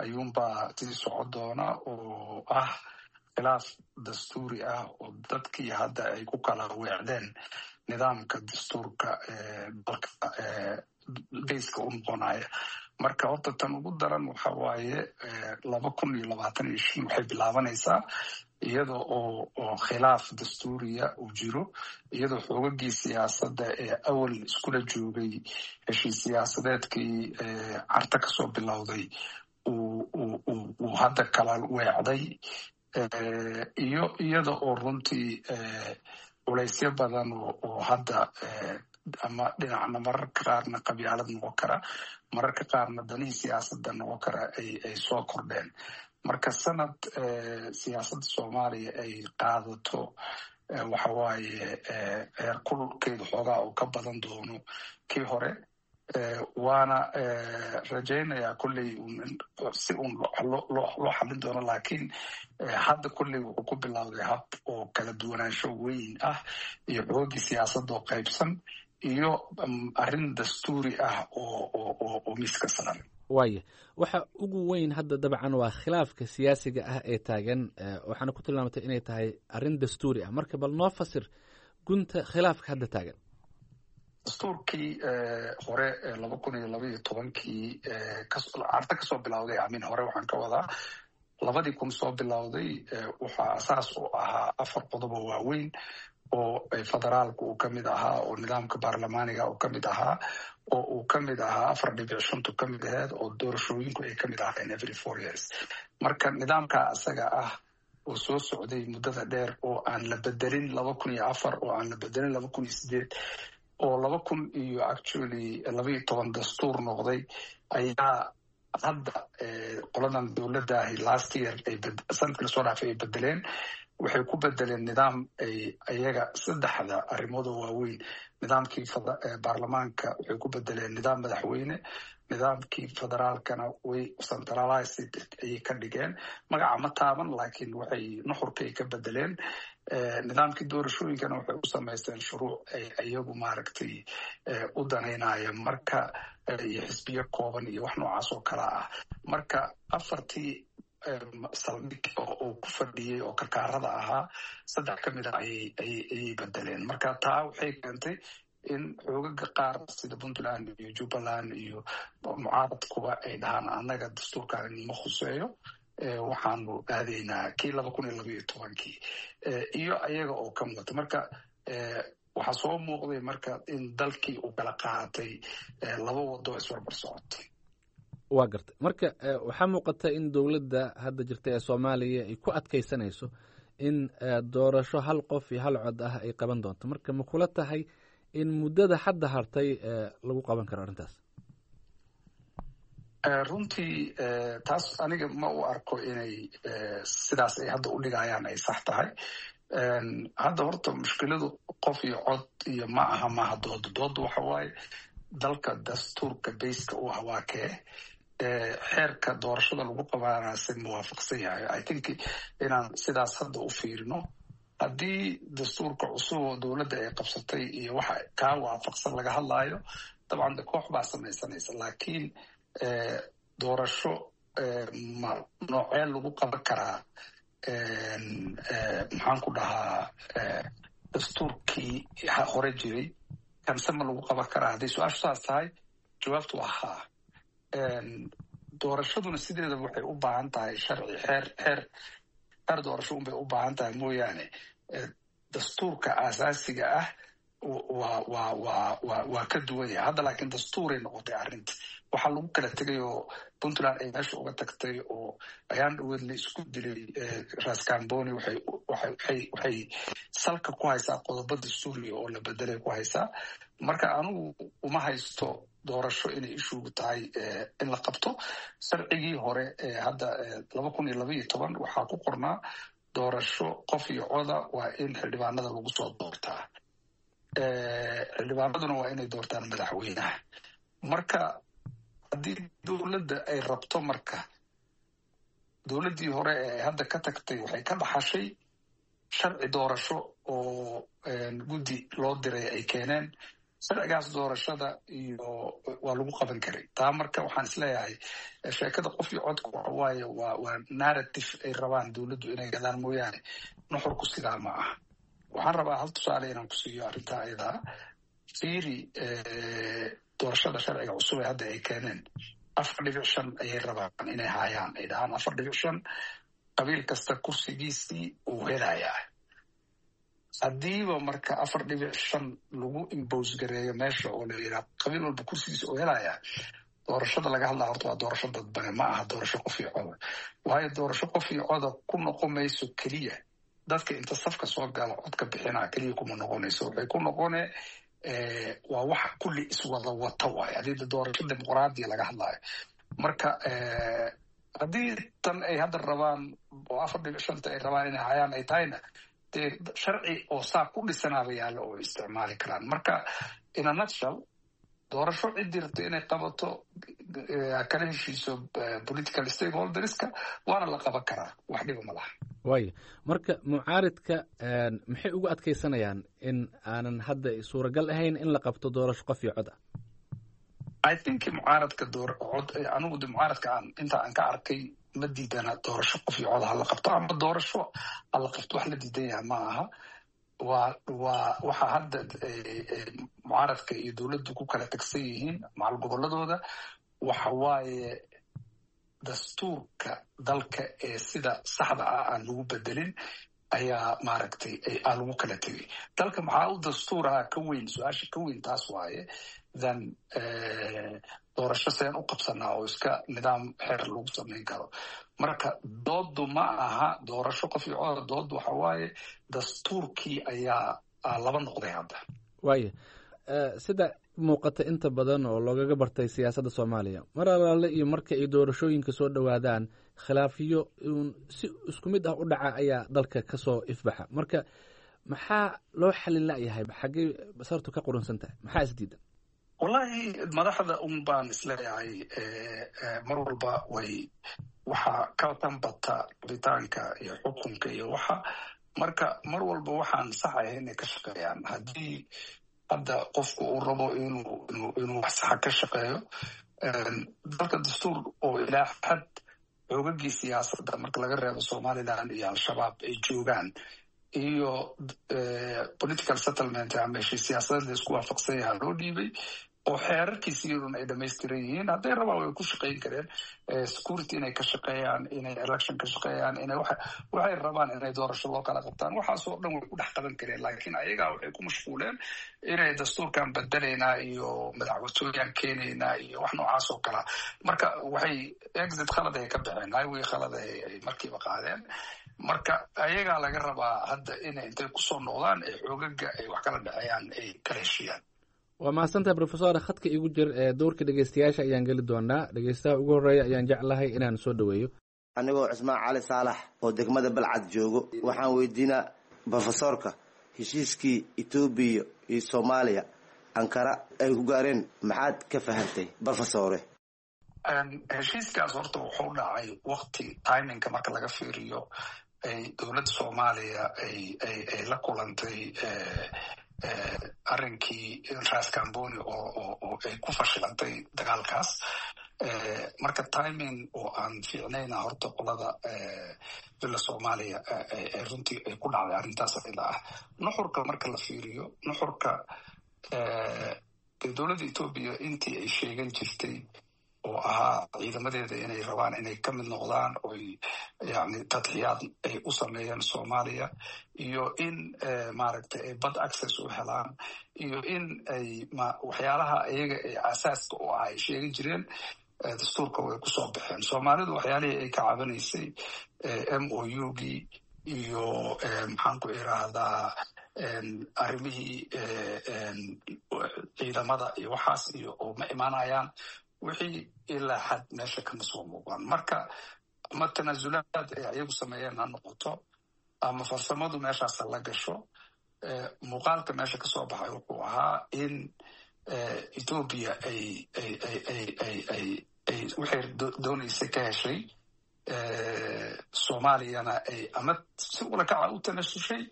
ayuunbaa sii socon doona, oo ah khilaaf dastuuri ah oo dadkii hadda ay ku kala weecdeen nidaamka dastuurka dalka bayska u noqonaya. Marka horta tan ugu daran waxa waaye laba kun iyo labaatan iyo shan waxay bilaabanaysaa iyada oo oo khilaaf dastuuriya uu jiro, iyadoo xoogagii siyaasadda ee awal iskula joogay heshiis siyaasadeedkii Carta kasoo bilowday uu hadda kala weecday, iyo iyada oo runtii culaysyo badan oo hadda ama dhinacna mararka qaarna qabyaalad noqon kara, mararka qaarna danihii siyaasadda noqon kara ay soo kordheen. Marka sanad siyaasadda Soomaaliya ay qaadato waxa waaye heerkulkeedu xoogaa uu ka badan doono kii hore, waana rajaynayaa kolley si uun loo xallin doono, laakiin hadda kolley wuxuu ku bilowday hab oo kala duwanaansho weyn ah iyo xoogii siyaasadda oo qaybsan iyo arrin dastuuri ah oo miiska saaran. Waaya, waxa ugu weyn hadda dabcan waa khilaafka siyaasiga ah ee taagan, waxaana ku tilmaamatay inay tahay arrin dastuuri ah. Marka bal noo fasir gunta khilaafka hadda taagan. Dastuurkii hore laba kun iyo laba iyo tobankii Carta kasoo bilowday, amin hore waxaan ka wadaa labadii kun soo bilowday, waxaa asaas u ahaa afar qodob oo waaweyn oo federaalku uu ka mid ahaa, oo nidaamka baarlamaaniga uu ka mid ahaa, oo uu ka mid ahaa afar dhibic shantu ka mid aheed, oo doorashooyinku ay ka mid ahayn every four years. Marka nidaamka asaga ah oo soo socday muddada dheer, oo aan la bedelin laba kun iyo afar, oo aan la bedelin laba kun iyo sideed, oo laba kun iyo actually laba iyo toban dastuur noqday, ayaa hadda qoladan dowladaahi last year ay sanadkii lasoo dhaafay ay bedeleen. Waxay ku bedeleen nidaam ay ayaga saddexda arrimood oo waaweyn: nidaamkii baarlamaanka waxay ku bedeleen nidaam madaxweyne, nidaamkii federaalkana way centralized ayay ka dhigeen, magaca ma taaban, laakiin waxay nuxurkay ka bedeleen. Nidaamkii doorashooyinkana waxay u samaysteen shuruuc ay iyagu maaragtay u danaynaya, marka iyo xisbiyo kooban iyo wax noocaas oo kala ah. Marka afartii saldhig oo uu ku fadhiyey oo karkaarada ahaa, saddex ka mid a ayay ayay bedeleen. Marka taa waxay keentay in xoogaga qaar sida Puntland iyo Jubbaland iyo mucaaradkuba ay dhahaan, "Annaga dastuurkan ma khuseeyo, waxaanu aadaynaa kii laba kun iyo laba iyo tobankii," iyo ayaga oo ka muuqata. Marka waxaa soo muuqday marka in dalkii uu kala qaatay laba wado isbarbar socotay. Waa gartay. Marka waxaa muuqata in dowladda hadda jirta ee Soomaaliya ay ku adkaysanayso in doorasho hal qof iyo hal cod ah ay qaban doonto. Marka ma kula tahay in muddada hadda hartay lagu qaban karo arrintaas? Runtii taas aniga ma u arko inay sidaas ay hadda u dhigayaan ay sax tahay. Hadda horta mushkiladu qof iyo cod iyo ma aha maaha dooda. Dooda waxa waaye, dalka dastuurka bayska u ah waa kee? Xeerka doorashada lagu qabanaa si muwaafaqsan yahay? I think inaan sidaas hadda u fiirino, haddii dastuurka cusub oo dowladda ay qabsatay iyo waxa kaa waafaqsan laga hadlaayo, dabcan de koox baa samaysanaysa. Laakiin doorasho ma noocee lagu qaban karaa, maxaan ku dhahaa, dastuurkii hore jiray kanse ma lagu qaban karaa? Hadday su-aashu saas tahay, jawaabtu waa haa. Doorashaduna sideedaba waxay u baahan tahay sharci, xeer xeer xeer doorasho unbay u baahan tahay mooyaane, dastuurka aasaasiga ah waa waa waa waa waa ka duwan yahay hadda. Laakiin dastuuray noqotay arrinta. Waxaa lagu kala tegay oo Puntland ay meesha uga tagtay oo ayaan dhaweed la isku dilay Raskamboni, waxay waxay waxay salka ku haysaa qodobo dastuuriga oo la bedelay ku haysaa. Marka anigu uma haysto doorasho inay issue-gu tahay in la qabto. Sharcigii hore ee hadda laba kun iyo laba iyo toban waxaa ku qornaa doorasho qof iyo coda waa in xildhibaanada lagu soo doortaa, xildhibaanaduna waa inay doortaan madaxweynaha. Marka haddii dowladda ay rabto, marka dowladdii hore ee ay hadda ka tagtay waxay ka dhaxashay sharci doorasho oo guddi loo diray ay keeneen. Sharcigaas doorashada iyo waa lagu qaban karay taa. Marka waxaan isleeyahay sheekada qof iyo codka waxa waaye waa waa narrative ay rabaan dowladdu inay gadaan mooyaane, nuxurku sidaa ma aha. Waxaan rabaa hal tusaale inaan ku siiyo arrintaa ayadaa. Fiiri doorashada sharciga cusub ee hadda ay keeneen, afar dhibic shan ayay rabaan inay haayaan, ay dhahaan afar dhibic shan qabiil kasta kursigiisii uu helayaa. Haddiiba marka afar dhibic shan lagu impose gareeyo meesha oo la yidhaha qabiil walba kursigiisa uu helayaa, doorashada laga hadlaa horta waa doorasho dadbane, ma aha doorasho qof iyo coda. Waayo, doorasho qof iyo coda ku noqon mayso keliya dadka inta safka soo gala codka bixinaa keliya kuma noqonayso. Waxay ku noqone waa wax kulli iswada wata waayo haddii doorasho dimuqraadiya laga hadlaayo. Marka haddii tan ay hadda rabaan oo afar dhibic shanta ay rabaan inay hayaan ay tahayna, dee sharci oo saa ku dhisanaaba yaallo oo isticmaali karaan. Marka in a nutshell, doorasho ciddii rabto inay qabato kala heshiiso political stakeholders-ka, waana la qaban karaa, wax dhiba ma laha. Waaya, marka mucaaridka maxay ugu adkaysanayaan in aanan hadda suuragal ahayn in la qabto doorasho qof iyo cod ah? I think mucaaradka door cod, anigu de mucaaradka aan inta aan ka arkay ma diidana doorasho qof iyo cod ha la qabto ama doorasho ha la qabto, wax la diidan yaha ma aha. waa waa waxa hadda mucaaradka iyo dowladdu ku kala tagsan yihiin macal gobolladooda waxa waaye dastuurka dalka ee sida saxda ah aan lagu bedelin ayaa maaragtay aa lagu kala tegay. Dalka maxaa u dastuur ahaa ka weyn, su-aasha ka weyn taas waaye than doorasho seen u qabsanaa oo iska nidaam xeer lagu samayn karo. Marka doodu ma aha doorasho qof iyo coda, doodu waxa waaye dastuurkii ayaa laba noqday hadda. Waaya, sida muuqata inta badan oo loogaga bartay siyaasadda Soomaaliya, mar alaale iyo marka ay doorashooyinka soo dhowaadaan, khilaafiyo uun si isku mid ah u dhaca ayaa dalka ka soo ifbaxa. Marka maxaa loo xalin la'yahay? Xaggee sartu ka qurunsan tahay? Maxaa isdiidan? Wallahi, madaxda un baan isleeyahay. Mar walba way waxaa ka tanbata rabitaanka iyo xukunka iyo waxa. Marka mar walba waxaan sax ahay inay ka shaqeeyaan. Haddii hadda qofku uu rabo inuu inuu wax saxa ka shaqeeyo dalka, dastuur oo ilaa xad xoogagii siyaasadda, marka laga reebo Somaliland iyo Al-Shabaab, ay joogaan, iyo political settlement ama heshiis siyaasadeed la isku waafaqsan yahaa loo dhiibay, oo xeerarkiisi iyaduna ay dhamaystiran yihiin, hadday rabaan way ku shaqayn kareen security inay ka shaqeeyaan, inay election ka shaqeeyaan, inay waxay rabaan, inay doorasho loo kala qabtaan, waxaasoo dhan way ku dhex qaban kareen. Laakiin ayagaa waxay ku mashquuleen inay dastuurkan bedelaynaa iyo madaxwatooyaan keenaynaa iyo wax noocaas oo kalea. Marka waxay exit khalad ay ka baxeen, highway khalad ay markiiba qaadeen. Marka ayagaa laga rabaa hadda inay intay kusoo noqdaan ay xoogaga ay wax kala dhexeeyaan ay kala heshiiyaan. Waa mahadsantahay, professor. Khadka igu jir ee dowrka dhegeystayaasha ayaan geli doonaa. Dhegeystaha ugu horreeya ayaan jeclahay inaan soo dhaweeyo. Anigoo Cusmaan Cali Saalax oo degmada Balcad joogo, waxaan weydiinaa profesorka heshiiskii Etoobiya iyo Soomaaliya Ankara ay ku gaareen, maxaad ka fahantay, profesore? Heshiiskaas horta wuxuu dhacay wakti timingka marka laga fiiriyo ay dowladda Soomaaliya ay ay ay la kulantay arrinkii Ras Camboni oo oo oo ay ku fashilantay dagaalkaas. Marka timing oo aan fiicnayna horta qolada Villa Soomaaliya ay runtii ay ku dhacday arrintaas ila ah. Nuxurka marka la fiiriyo, nuxurka dowladda Etoobiya intii ay sheegan jirtay oo ahaa ciidamadeeda inay rabaan inay ka mid noqdaan oy yani tadxiyaad ay u sameeyeen Soomaaliya, iyo in maaragtay ay bad access u helaan, iyo in ay waxyaalaha iyaga ay asaaska u ah ay sheegan jireen, dastuurka way kusoo baxeen. Soomaalidu waxyaalihii ay ka cabanaysay, M O U gii iyo maxaan ku iraahdaa, arrimihii ciidamada iyo waxaas iyo oo ma imaanayaan, wixii ilaa xad meesha kama soo muuqan. Marka ama tanaasulaad ay ayagu sameeyeen ha noqoto ama farsamadu meeshaas la gasho, muuqaalka meesha kasoo baxay wuxuu ahaa in Etoobiya ay ay ay ay ay ay ay waxay doonaysay ka heshay, Soomaaliyana ay ama si ulakaca u tanasushay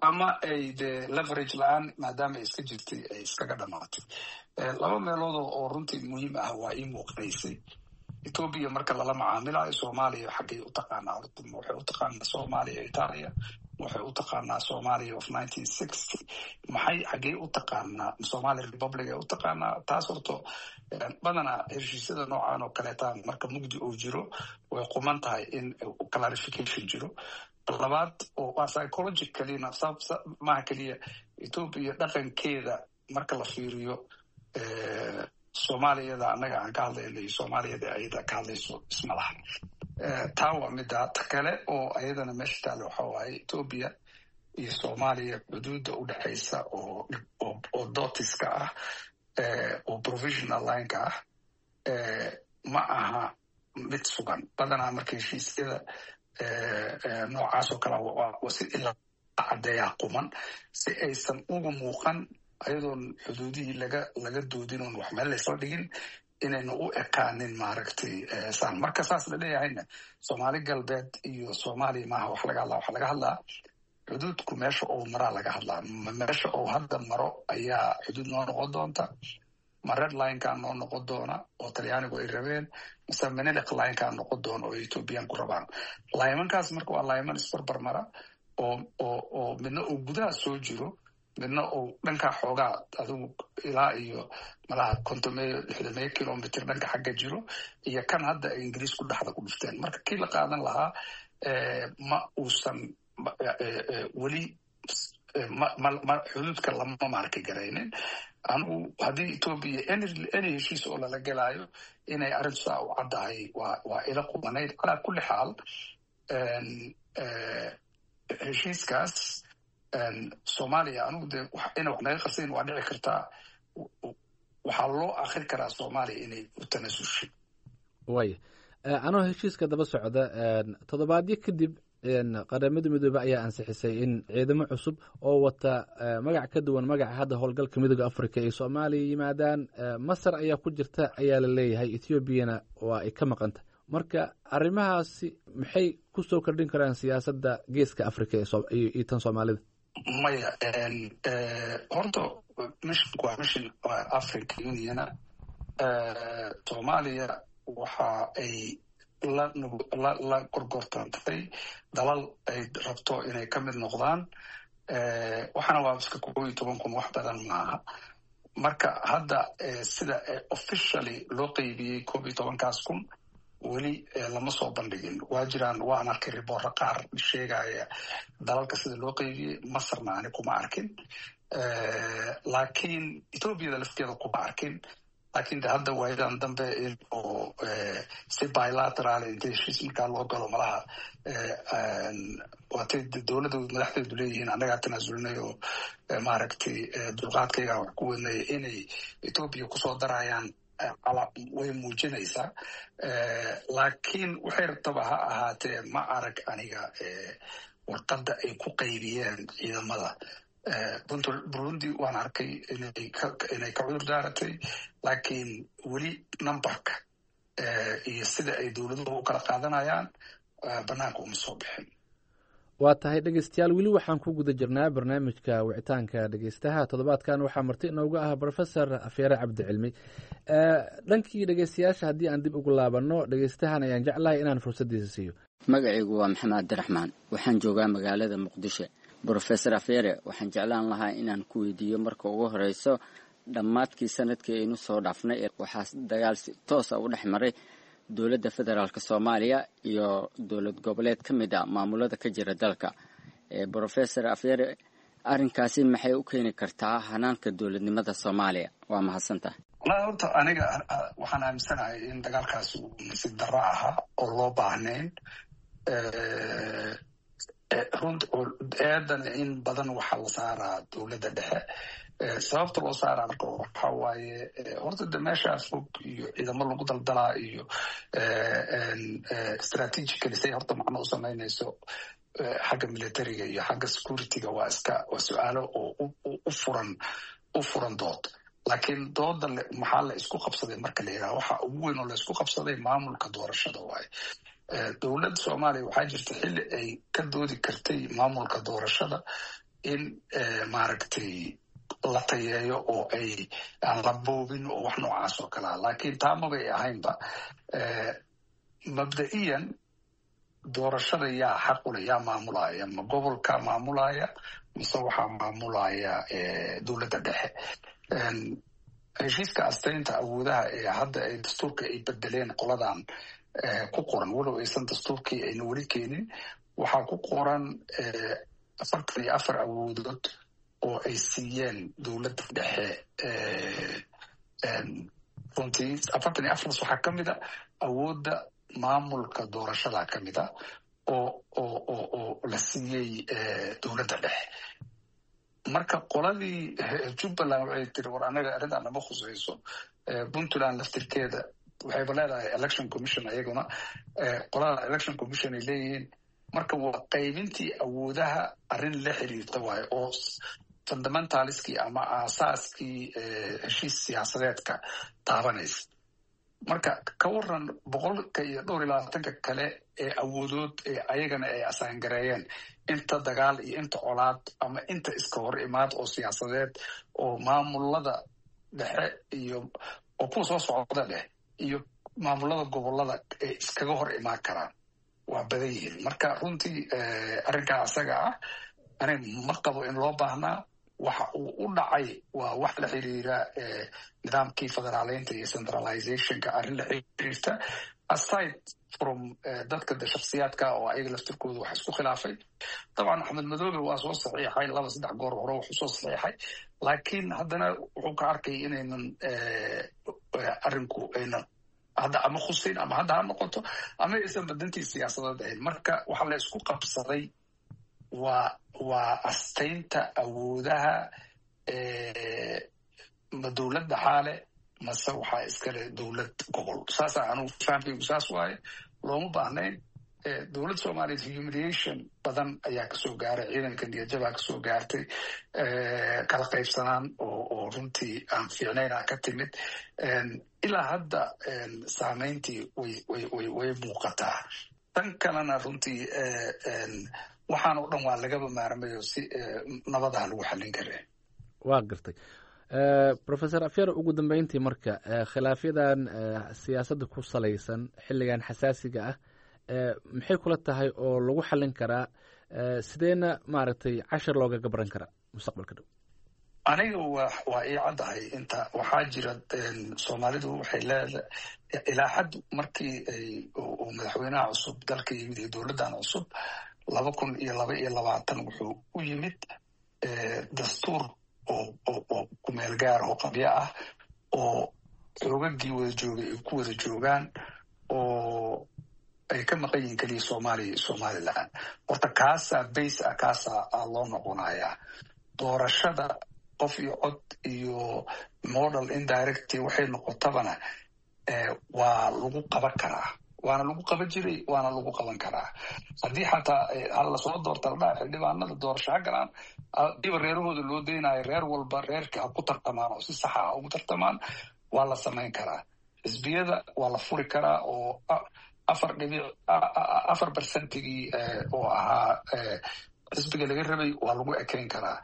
ama ay dee leverage la-aan maadaama ay iska jirtay ay iskaga dhamaatay. Laba meelood oo runtii muhiim ah waa ii muuqanaysay. Etoobiya marka lala macaamilayo Soomaaliya, xaggay u taqaanaa horta? Waxay u taqaanaa Soomaaliya Italia? Waxay u taqaanaa Soomaaliya of nineteen sixty? Maxay, xaggey u taqaanaa? Somalia Republic ay u taqaanaa? Taas horto badanaa heshiisyada noocan oo kaleeta marka mugdi uu jiro way quman tahay in clarification jiro. Labaad oo waa psychologicallyna, maaha keliya Etoobiya dhaqankeeda marka la fiiriyo, Soomaaliyada annaga aan ka hadlayno iyo Soomaaliyada ayada ka hadlayso isma laha. Taa waa midda ta kale oo ayadana meesha taale. Waxa waaye Etoobiya iyo Soomaaliya xuduudda u dhexaysa oo oo dotiska ah oo provisional lineka ah ma aha mid sugan. Badanaa marka heshiisyada noocaas oo kale si ilaa caddeeyaa quman si aysan ugu muuqan ayadoon xuduudihii laga laga doodin oon wax meel laysla dhigin inaynu u ekaanin maaragtay saan. Marka saas la leeyahayna, Soomaali Galbeed iyo Soomaaliya maaha wax laga hadlaa. Waxa laga hadlaa xuduudku meesha uu maraa laga hadlaa. Meesha uu hadda maro ayaa xuduud noo noqon doonta? Ma red linekaa noo noqon doona oo Talyaanigu ay rabeen, mise Menelik linekaa noqon doona oo Ethoobiyaanku rabaan? Laymankaas marka waa layman isbarbar mara oo oo oo midna uu gudaha soo jiro, midna uu dhankaa xoogaa adigu ilaa iyo malaha kontomeeyo lixdameeyo kilomitr dhanka xagga jiro, iyo kan hadda ay Ingiriisku dhexda ku dhufteen. Marka kii la qaadan lahaa ma uusan weli ma xuduudka lama maarki garaynin. Anigu haddii Etoobiya any heshiis oo lala gelaayo inay arrintu saa u caddahay waa waa ila qumanayd. Calaa kulli xaal, heshiiskaas Soomaaliya anigu dee ina wax naga qarsayn waa dhici kartaa. Waxaa loo akri karaa Soomaaliya inay u tanasushay. Waaya, anoo heshiiska daba socda, toddobaadyo kadib Qaramada Midoobe ayaa ansixisay in ciidamo cusub oo wata magac ka duwan magaca hadda howlgalka Midooda Africa ay Soomaaliya yimaadaan. Masar ayaa ku jirta ayaa la leeyahay, Ethioobiyana waa ay ka maqanta. Marka arrimahaasi maxay kusoo kordhin karaan siyaasadda Geeska Africa iyo tan Soomaalida? Maya, horta missionku waa mission Africa Uniona. Soomaaliya waxa ay la la gorgortantay dalal ay rabto inay ka mid noqdaan. Waxaana waa iska kow iyo toban kun, wax badan maaha. Marka hadda sida officially loo qeybiyey koob iyo tobankaas kun weli lama soo bandhigin. Waa jiraan, waan arkay riboorro qaar sheegaya dalalka sida loo qeybiyey. Masarna ani kuma arkin, laakiin Ethoobiada lafteeda kuma arkin. Laakiin de hadda waayadan dambe oo si bilateral inta heshiis markaa loo galo malaha, waatay dowladda madaxdeedu leeyihiin annagaa tanaasulnay oo maaragtay dulqaadkaygaa wax ku wadnay, inay Ethoobia kusoo darayaan way muujinaysaa. Laakiin waxay rabtaba ha ahaatee, ma arag aniga warqadda ay ku qaybiyeen ciidamada. Burundi waan arkay inay ka cudur daaratay, laakiin weli numberka iyo sida ay dowladuhu u kala qaadanayaan banaanka uma soo bixin. Waa tahay, dhegeystayaal, weli waxaan ku guda jirnaa barnaamijka wicitaanka dhegeystaha. Toddobaadkan waxaa marti inooga ah Professor Afyare Cabdicilmi. Dhankii dhegeystayaasha haddii aan dib ugu laabanno, dhegeystahan ayaan jeclahay inaan fursaddiisa siiyo. Magacaygu waa Maxamed Cabdiraxmaan, waxaan joogaa magaalada Muqdisho. Brofesor Afyare, waxaan jeclaan lahaa inaan ku weydiiyo marka ugu horeyso, dhammaadkii sanadkii aynu soo dhaafnay waxaa dagaal si toosa u dhex maray dowladda federaalk Soomaaliya iyo dowlad goboleed ka mid a maamulada ka jira dalka. Brofesor Afyare, arrinkaasi maxay u keeni kartaa hanaanka dowladnimada Soomaaliya? Waa mahadsantahay. Wallahi horta aniga waxaan aaminsanahay in dagaalkaasi uu nasiib darro ahaa oo loo baahnayn. Runt eedana in badan waxaa la saaraa dowladda dhexe. Sababta loo saaraa marka waxa waaye, horta de meeshaa fog iyo ciidamo lagu daldalaa iyo strategically say horta macno u samaynayso xagga militariga iyo xagga securityga waa iska waa su-aalo oo u furan u furan dood. Laakiin dooda maxaa la isku qabsaday marka la yidhaha, waxa ugu weyn oo la isku qabsaday maamulka doorashada waaye. Dowladda Soomaaliya waxaa jirta xilli ay ka doodi kartay maamulka doorashada in maaragtay la tayeeyo oo ay aan la boobin oo wax noocaas oo kalea, laakiin taa mabay ahaynba. Mabda'iyan doorashada yaa xaq ule, yaa maamulaya? Ma gobolka maamulaya mise waxaa maamulaya dowladda dhexe? Heshiiska astaynta awoodaha ee hadda ay dastuurka ay bedeleen qoladan ku qoran, walow aysan dastuurkii ayna weli keenin, waxaa ku qoran afartan iyo afar awoodood oo ay siiyeen dowladda dhexe. Runtii afartan iyo afartaas waxaa ka mid a awoodda maamulka doorashada ka mid a oo oo oo oo la siiyey dowladda dhexe. Marka qoladii Jubbaland waxay tiri, war anaga arrintan nama khusayso. Puntland laftirkeeda waxayba leedahay election commission, ayaguna qolada election commission ay leeyihiin. Marka waa qaybintii awoodaha arrin la xiriirta waayo oo fundamentaliskii ama aasaaskii heshiis siyaasadeedka taabanaysa. Marka ka waran boqolka iyo dhowr iyo labaatanka kale ee awoodood ee ayagana ay asaangareeyeen, inta dagaal iyo inta colaad ama inta iska hor imaad oo siyaasadeed oo maamulada dhexe iyo oo kuwa soo socda dheh iyo maamulada gobolada ay iskaga hor imaan karaan waa badan yihiin. Marka runtii arrinkaa asaga ah ani ma qabo in loo baahnaa. Waxa uu u dhacay waa wax la xiriira nidaamkii federaaleynta iyo centralizationka, arrin la xiriirta aside from dadka de shaksiyaadka oo ayaga laftirkooda wax isku khilaafay. Dabcan Axmed Madoobe waa soo saxiixay laba saddex goor hore wuxuu soo saxiixay, laakiin haddana wuxuu ka arkay inaynan arrinku aynan hadda ama khuseyn ama hadda ha noqoto ama aysan badantii siyaasadeed ahayn. Marka waxa la isku qabsaday waa waa astaynta awoodaha, ma dowlad dhaxaale Mase waxaa iskale dowlad gobol? Saasaa anugu fahamkaygu saas waaye. Looma baahnayn dowlad Soomaaliyeed. Humiliation badan ayaa kasoo gaaray ciidanka, niyadjabaa kasoo gaartay, kala qaybsanaan oo oo runtii aan fiicnayna ka timid. Ilaa hadda saameyntii way way way way muuqataa. Tan kalena runtii waxaan oo dhan waa lagaba maarmayo, si nabadaha lagu xallin kare. Waa gartay, Professor Afyar. Ugu dambeyntii marka, khilaafyadan siyaasadda ku salaysan xilligan xasaasiga ah maxay kula tahay oo lagu xallin karaa? Sideena maaragtay cashar looga gabran karaa mustaqbalka dhow? Aniga wa waa ii caddahay. Inta waxaa jira, Soomaalidu waxay leedahay ilaa xad markii ay uu madaxweynaha cusub dalka yimid iyo dowladdan cusub laba kun iyo laba iyo labaatan, wuxuu u yimid dastuur oo oo kumeel gaar oo qabyo ah oo xoogagii wada joogay ay ku wada joogaan oo ay ka maqan yihiin keliya Soomaaliya iyo Somaliland. Horta kaasaa base ah, kaasaa loo noqonayaa. Doorashada qof iyo cod iyo model indirect waxay noqotabana waa lagu qaban karaa, waana lagu qaban jiray, waana lagu qaban karaa. Haddii xataa hal lasoo doorta la dhaha, xildhibaanada doorasho ha galaan, hadiiba reerahooda loo daynayo, reer walba reerka ha ku tartamaan oo si saxa ha ugu tartamaan, waa la samayn karaa. Xisbiyada waa la furi karaa oo afar dhibic afar percentigii oo ahaa xisbiga laga rabay waa lagu ekeyn karaa.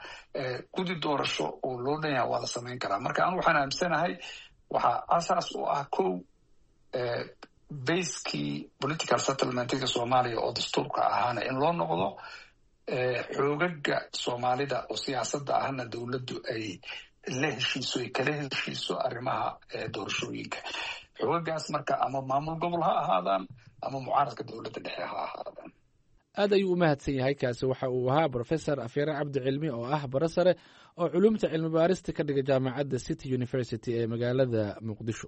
Guddi doorasho oo loo dhan yaha waa la samayn karaa. Marka anu waxaan aaminsanahay waxaa asaas u ah kow basekii political settlementiga Soomaaliya oo dastuurka ahaana in loo noqdo, xoogaga Soomaalida oo siyaasadda ahna dowladdu ay la heshiiso, ay kala heshiiso arrimaha doorashooyinka. Xoogagaas marka ama maamul gobol ha ahaadaan ama mucaaradka dowladda dhexe ha ahaadaan. Aad ayuu u mahadsan yahay. Kaasi waxa uu ahaa Professor Afyare Cabdi Cilmi oo ah bara sare oo culumta cilmi baarista ka dhiga jaamacadda City University ee magaalada Muqdisho.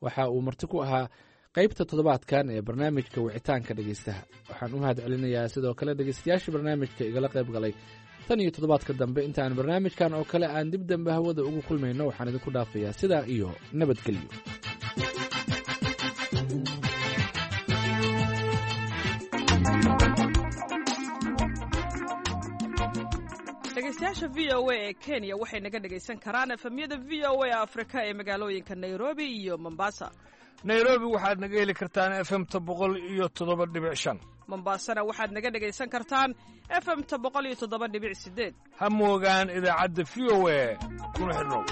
Waxa uu marti ku ahaa qaybta toddobaadkan ee barnaamijka wicitaanka dhegeystaha. Waxaan u mahad celinayaa sidoo kale dhegeystayaasha barnaamijka igala qayb galay. Tan iyo toddobaadka dambe intaan barnaamijkan oo kale aan dib dambe hawada ugu kulmayno, waxaan idinku dhaafayaa sidaa iyo nabadgelyo. Dhegeystayaasha V O A ee Kenya waxay naga dhegaysan karaan efemyada V O A Afrika ee magaalooyinka Nairobi iyo Mombasa. Nairobi waxaad naga heli kartaan efemta boqol iyo toddoba dhibic shan. Mombasana waxaad naga dhegaysan kartaan efemta boqol iyo toddoba dhibic sideed. Ha moogaan idaacadda V O A, kuna xidhnow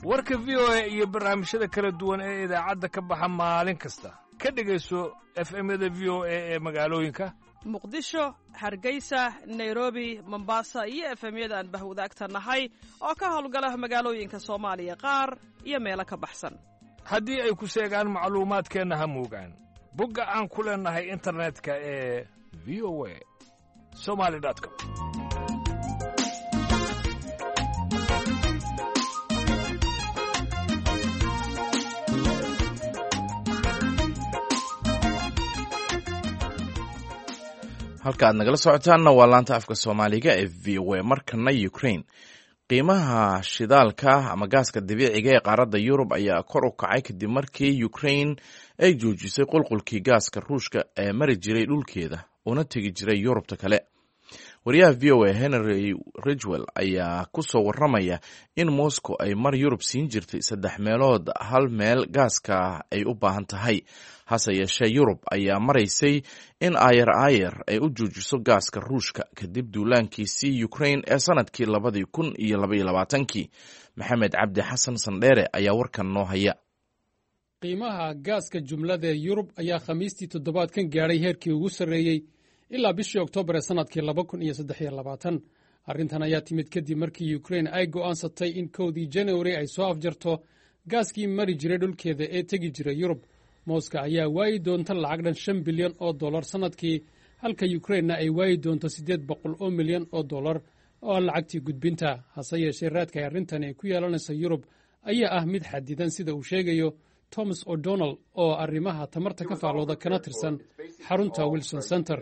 warka V O A iyo barnaamijyada kala duwan ee idaacadda ka baxa maalin kasta. Ka dhegayso efemyada V O A ee magaalooyinka Muqdisho, Hargeysa, Nairobi, Mombasa iyo efemyada aan bahwadaagta nahay oo ka howlgala magaalooyinka Soomaaliya qaar iyo meelo ka baxsan. Haddii ay ku seegaan macluumaadkeenna, ha moogaan bogga aan ku leennahay internetka ee V O A somali com. Halka aad nagala socotaanna waa laanta afka Soomaaliga ee V O A. Markana Ukraine. Qiimaha shidaalka ama gaaska dabiiciga ee qaaradda Yurub ayaa kor u kacay kadib markii Ukraine ay joojisay qulqulkii gaaska Ruushka ee mari jiray dhulkeeda una tegi jiray Yurubta kale. Wariyaha V O A Henry Ridgwell ayaa ku soo waramaya in Moscow ay mar Yurub siin jirtay saddex meelood hal meel gaaska ay u baahan tahay. Hase yeeshee, Yurub ayaa maraysay in aayar aayar ay u joojiso gaaska Ruushka kadib duulaankiisii Ukraine ee sanadkii labadii kun iyo labaiyo labaatankii. Maxamed Cabdi Xasan Sandheere ayaa warkan noo haya. Qiimaha gaaska jumlada ee Yurub ayaa Khamiistii toddobaadkan gaadhay heerkii ugu sarreeyey ilaa bishii Oktoobar ee sannadkii laba kun iyo saddex iyo labaatan. Arrintan ayaa timid kadib markii Ukrain ay go'aansatay in kowdii Januari ay soo afjarto gaaskii mari jiray dhulkeeda ee tegi jiray Yurub. Mooska ayaa waayi doonta lacag dhan shan bilyan oo dollar sannadkii, halka Yukrainna ay waayi doonto siddeed boqol oo milyan oo dollar oo ah lacagtii gudbinta. Hase yeeshee, raadka ay arrintani ay ku yeelanaysa Yurub ayaa ah mid xadidan, sida uu sheegayo Thomas O'Donnell oo arrimaha tamarta ka faallooda kana tirsan xarunta Wilson Center.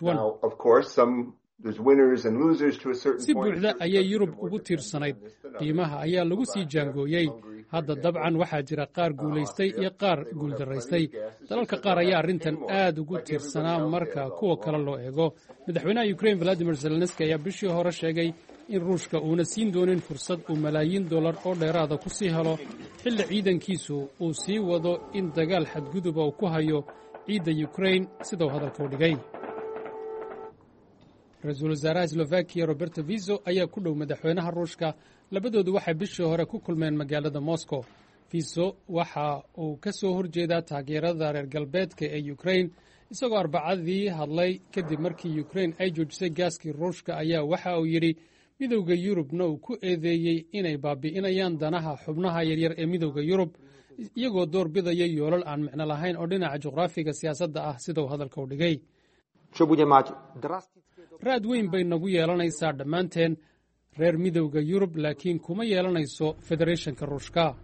Now, of course, some Si buuxda ayay Yurub ugu tiirsanayd, qiimaha ayaa lagu sii jaangooyey. Hadda dabcan waxaa jira qaar guulaystay iyo qaar guuldaraystay. Dalalka qaar ayaa arrintan aad ugu tiirsanaa marka kuwa kale loo eego. Madaxweynaha Ukrain Valadimir Zelenski ayaa bishii hore sheegay in Ruushka uuna siin doonin fursad uu malaayiin dollar oo dheeraada ku sii helo xilli ciidankiisu uu sii wado in dagaal xadguduba uu ku hayo ciidda Ukrain, sida uu hadalka u dhigay. Ra-iisul wasaaraha Slovakiya Roberto Fico ayaa ku dhow madaxweynaha Ruushka. Labadoodu waxay bishii hore ku kulmeen magaalada Moscow. Fico waxa uu ka soo horjeedaa taageerada reer galbeedka ee Ukrain. Isagoo Arbacadii hadlay kadib markii Ukrain ay joojisay gaaskii Ruushka ayaa waxa uu yidhi, Midowda Yurubna uu ku eedeeyey inay baabi'inayaan danaha xubnaha yaryar ee Midowda Yurub, iyagoo door bidaya yoolal aan micno lahayn oo dhinaca juqraafiga siyaasadda ah, sida uu hadalka u dhigay. Raad weyn bay nagu yeelanaysaa dhammaanteen reer Midowda Yurub, laakiin kuma yeelanayso Federeeshanka Ruushka.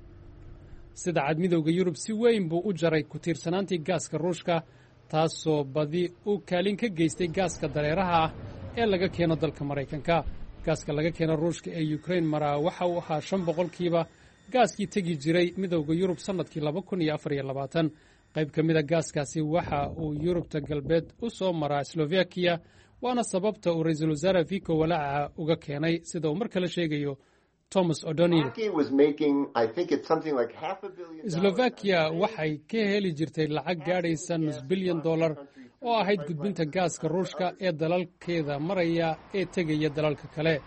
Sida cad, Midowda Yurub si weyn buu u jaray ku tiirsanaantii gaaska Ruushka, taasoo badi u kaalin ka geystay gaaska dareeraha ah ee laga keeno dalka Maraykanka. Gaaska laga keeno Ruushka ee Ukrain maraa waxa uu ahaa shan boqolkiiba gaaskii tegi jiray Midowda Yurub sannadkii laba kun iyo afar iyo labaatan. Qayb ka mida gaaskaasi waxa uu Yurubta galbeed u soo maraa Slovakiya, waana sababta uu ra-iisul wasaare Fico walaaca uga keenay, sida uu mar kale sheegayo Thomas O'Donnell. Slovakiya waxay ka heli jirtay lacag gaadhaysa nus bilyan dollar oo ahayd gudbinta gaaska Ruushka ee dalalkeeda maraya ee tegaya dalalka kale.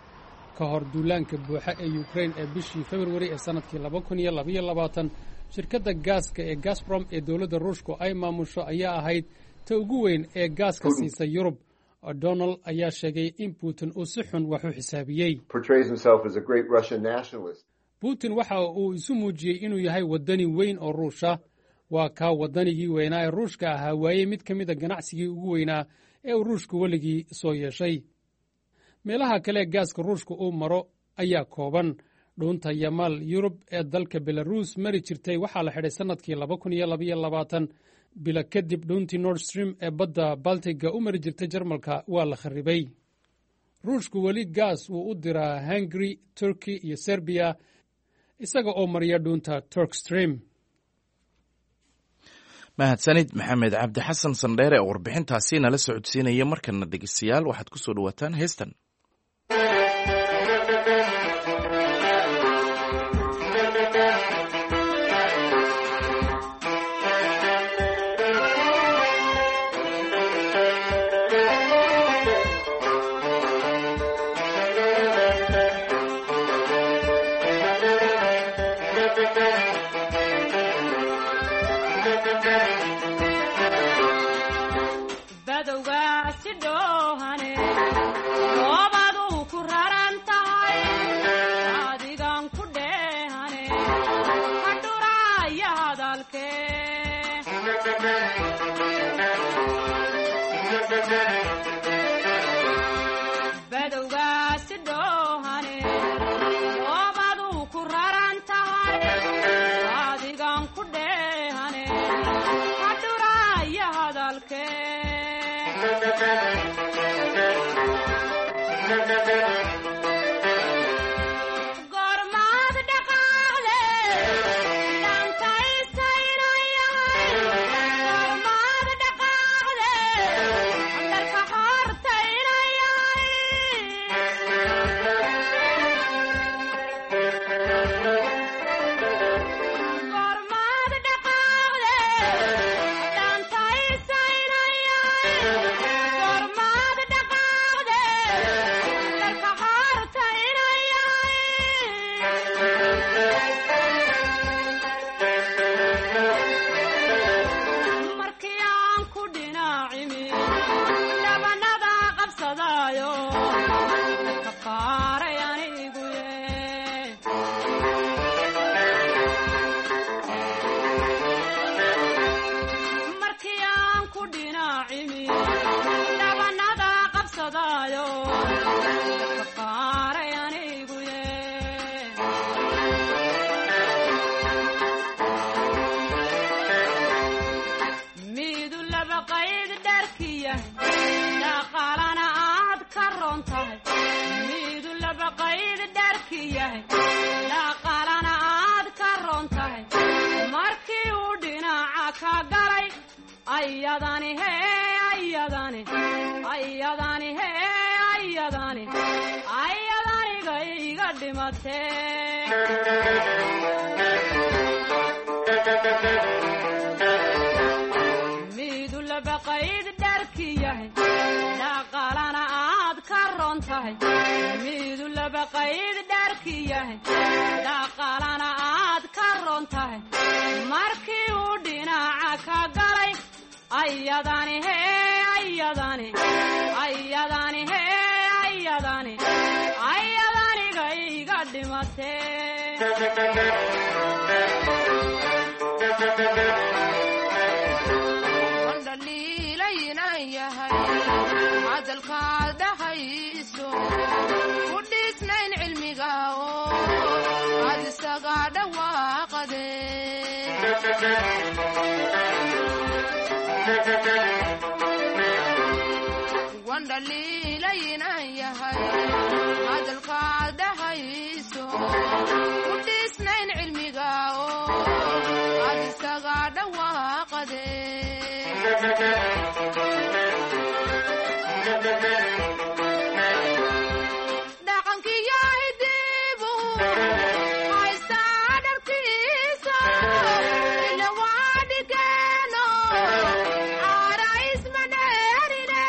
Ka hor duulaanka buuxa ee Ukrain ee bishii Februari ee sannadkii laba kun iyo labaiyo labaatan, shirkadda gaaska ee Gazprom ee dowladda Ruushku ay maamusho ayaa ahayd ta ugu weyn ee gaaska siisa Yurub. O'Donnell ayaa sheegay in Putin uu si xun wax u xisaabiyey. Putin waxa uu isu muujiyey inuu yahay waddani weyn oo Ruusha. Waa kaa waddanigii weynaa ee Ruushka ahaa waayey mid ka mida ganacsigii ugu weynaa ee uu Ruushku weligii soo yeeshay. Meelaha kale ee gaaska Ruushka uu maro ayaa kooban. Dhuunta Yamaal Yurub ee dalka Belaruus mari jirtay waxaa la xidhay sannadkii laba kun iyo labaiyo labaatan. Bilo kadib, dhuuntii Nord Stream ee badda Baltiga u mari jirtay Jarmalka waa la kharribay. Ruushku weli gaas wuu u diraa Hungary, Turkey iyo Serbiya isaga oo mariya dhuunta Turk Stream. Mahadsanid Maxamed Cabdi Xasan Sandheere oo warbixintaasi nala socodsiinaya. Markana dhegeystayaal, waxaad ku soo dhawaataan heestan. Gormad dhaqaaqde. yahay dhaqaalana aad ka roon tahay markii uu dhinaca ka galay ayadani he ayadani ayadani he ayadani ayadaniga iga dhimate midu labaqayd dharki yahay dhaqaalana aad ka roon tahay midu labaqayd dharki yahay dhaqaalana aad ka roon tahay markii uu dhinaca ka galay ayadani he ayadani ayadani he ayadani ayadaniga iga dhimate hadalkaad dhahayso ku dhisnayn cilmiga oo aad isaga dhawaaqade wandhaliilaynan yahay hadalkaad dhahayso ku dhisnayn cilmiga oo aad isaga dhawaaqade dhaqankiyahidibu haystaa dharkiisa ila waa dhigeeno caara isma dheerine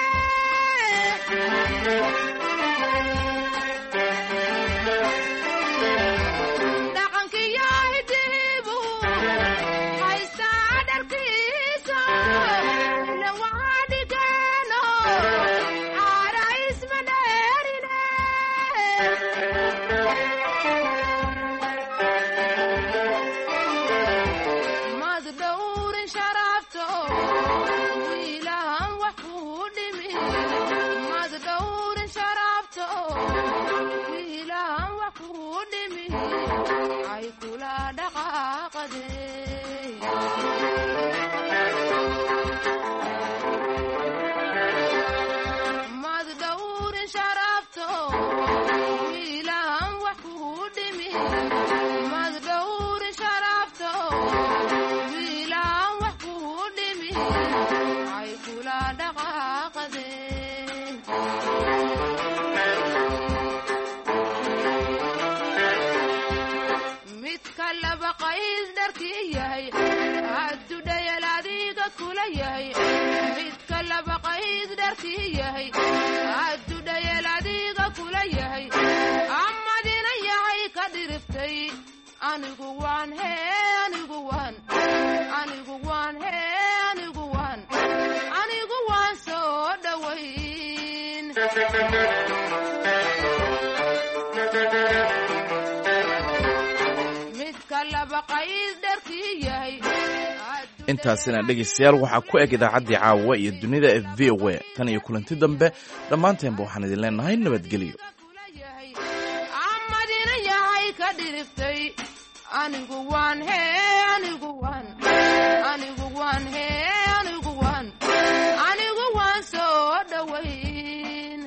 dhaqankiyahidibu haystaa dharkiisa ila waa dhigeeno caara isma dheerine mad dhowrin sharafto wiilahan wax kuu dhimi mad dhowrin sharafto wiilahan wax kuu dhimi ay kula dhaqaaqade mad dhowrin sharafto wiilahan wax kuu dhimi mad dhowrin sharafto wiilahan wax kuu dhimi ay kula dhaqaaqade midka laba qayd dharkii yahay hadduu dhayal adiga kula yahay midka laba qayd dharkii yahay hadduu dhayal adiga kula yahay amadina yahay ka dhiriftay anigu waan hee anigu waan anigu waan hee anigu waan anigu waan soo dhowayn midka laba qayd dharkii yahay Intaasina dhegaystayaal waxaa ku eg idaacaddii caawa iyo dunida ee V O A. Tan iyo kulanti dambe, dhammaanteenba waxaan idin leenahay nabadgelyo. Amadina yahay ka dhiriftay anigu waan hee anigu waan anigu waan hee anigu waan anigu waan soo dhowayn.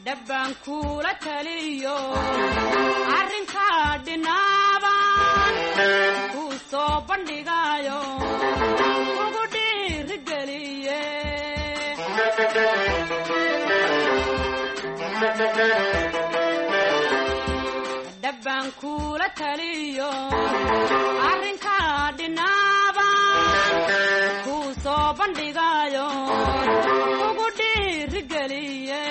Dhabbaan kula taliyo arrinkaa dhinaabaan kuu soo bandhigayo ugu dhiirigeliye. Dhabbaan kula taliyo arrinkaa dhinaabaan kuu soo bandhigayo ugu dhiirigeliye.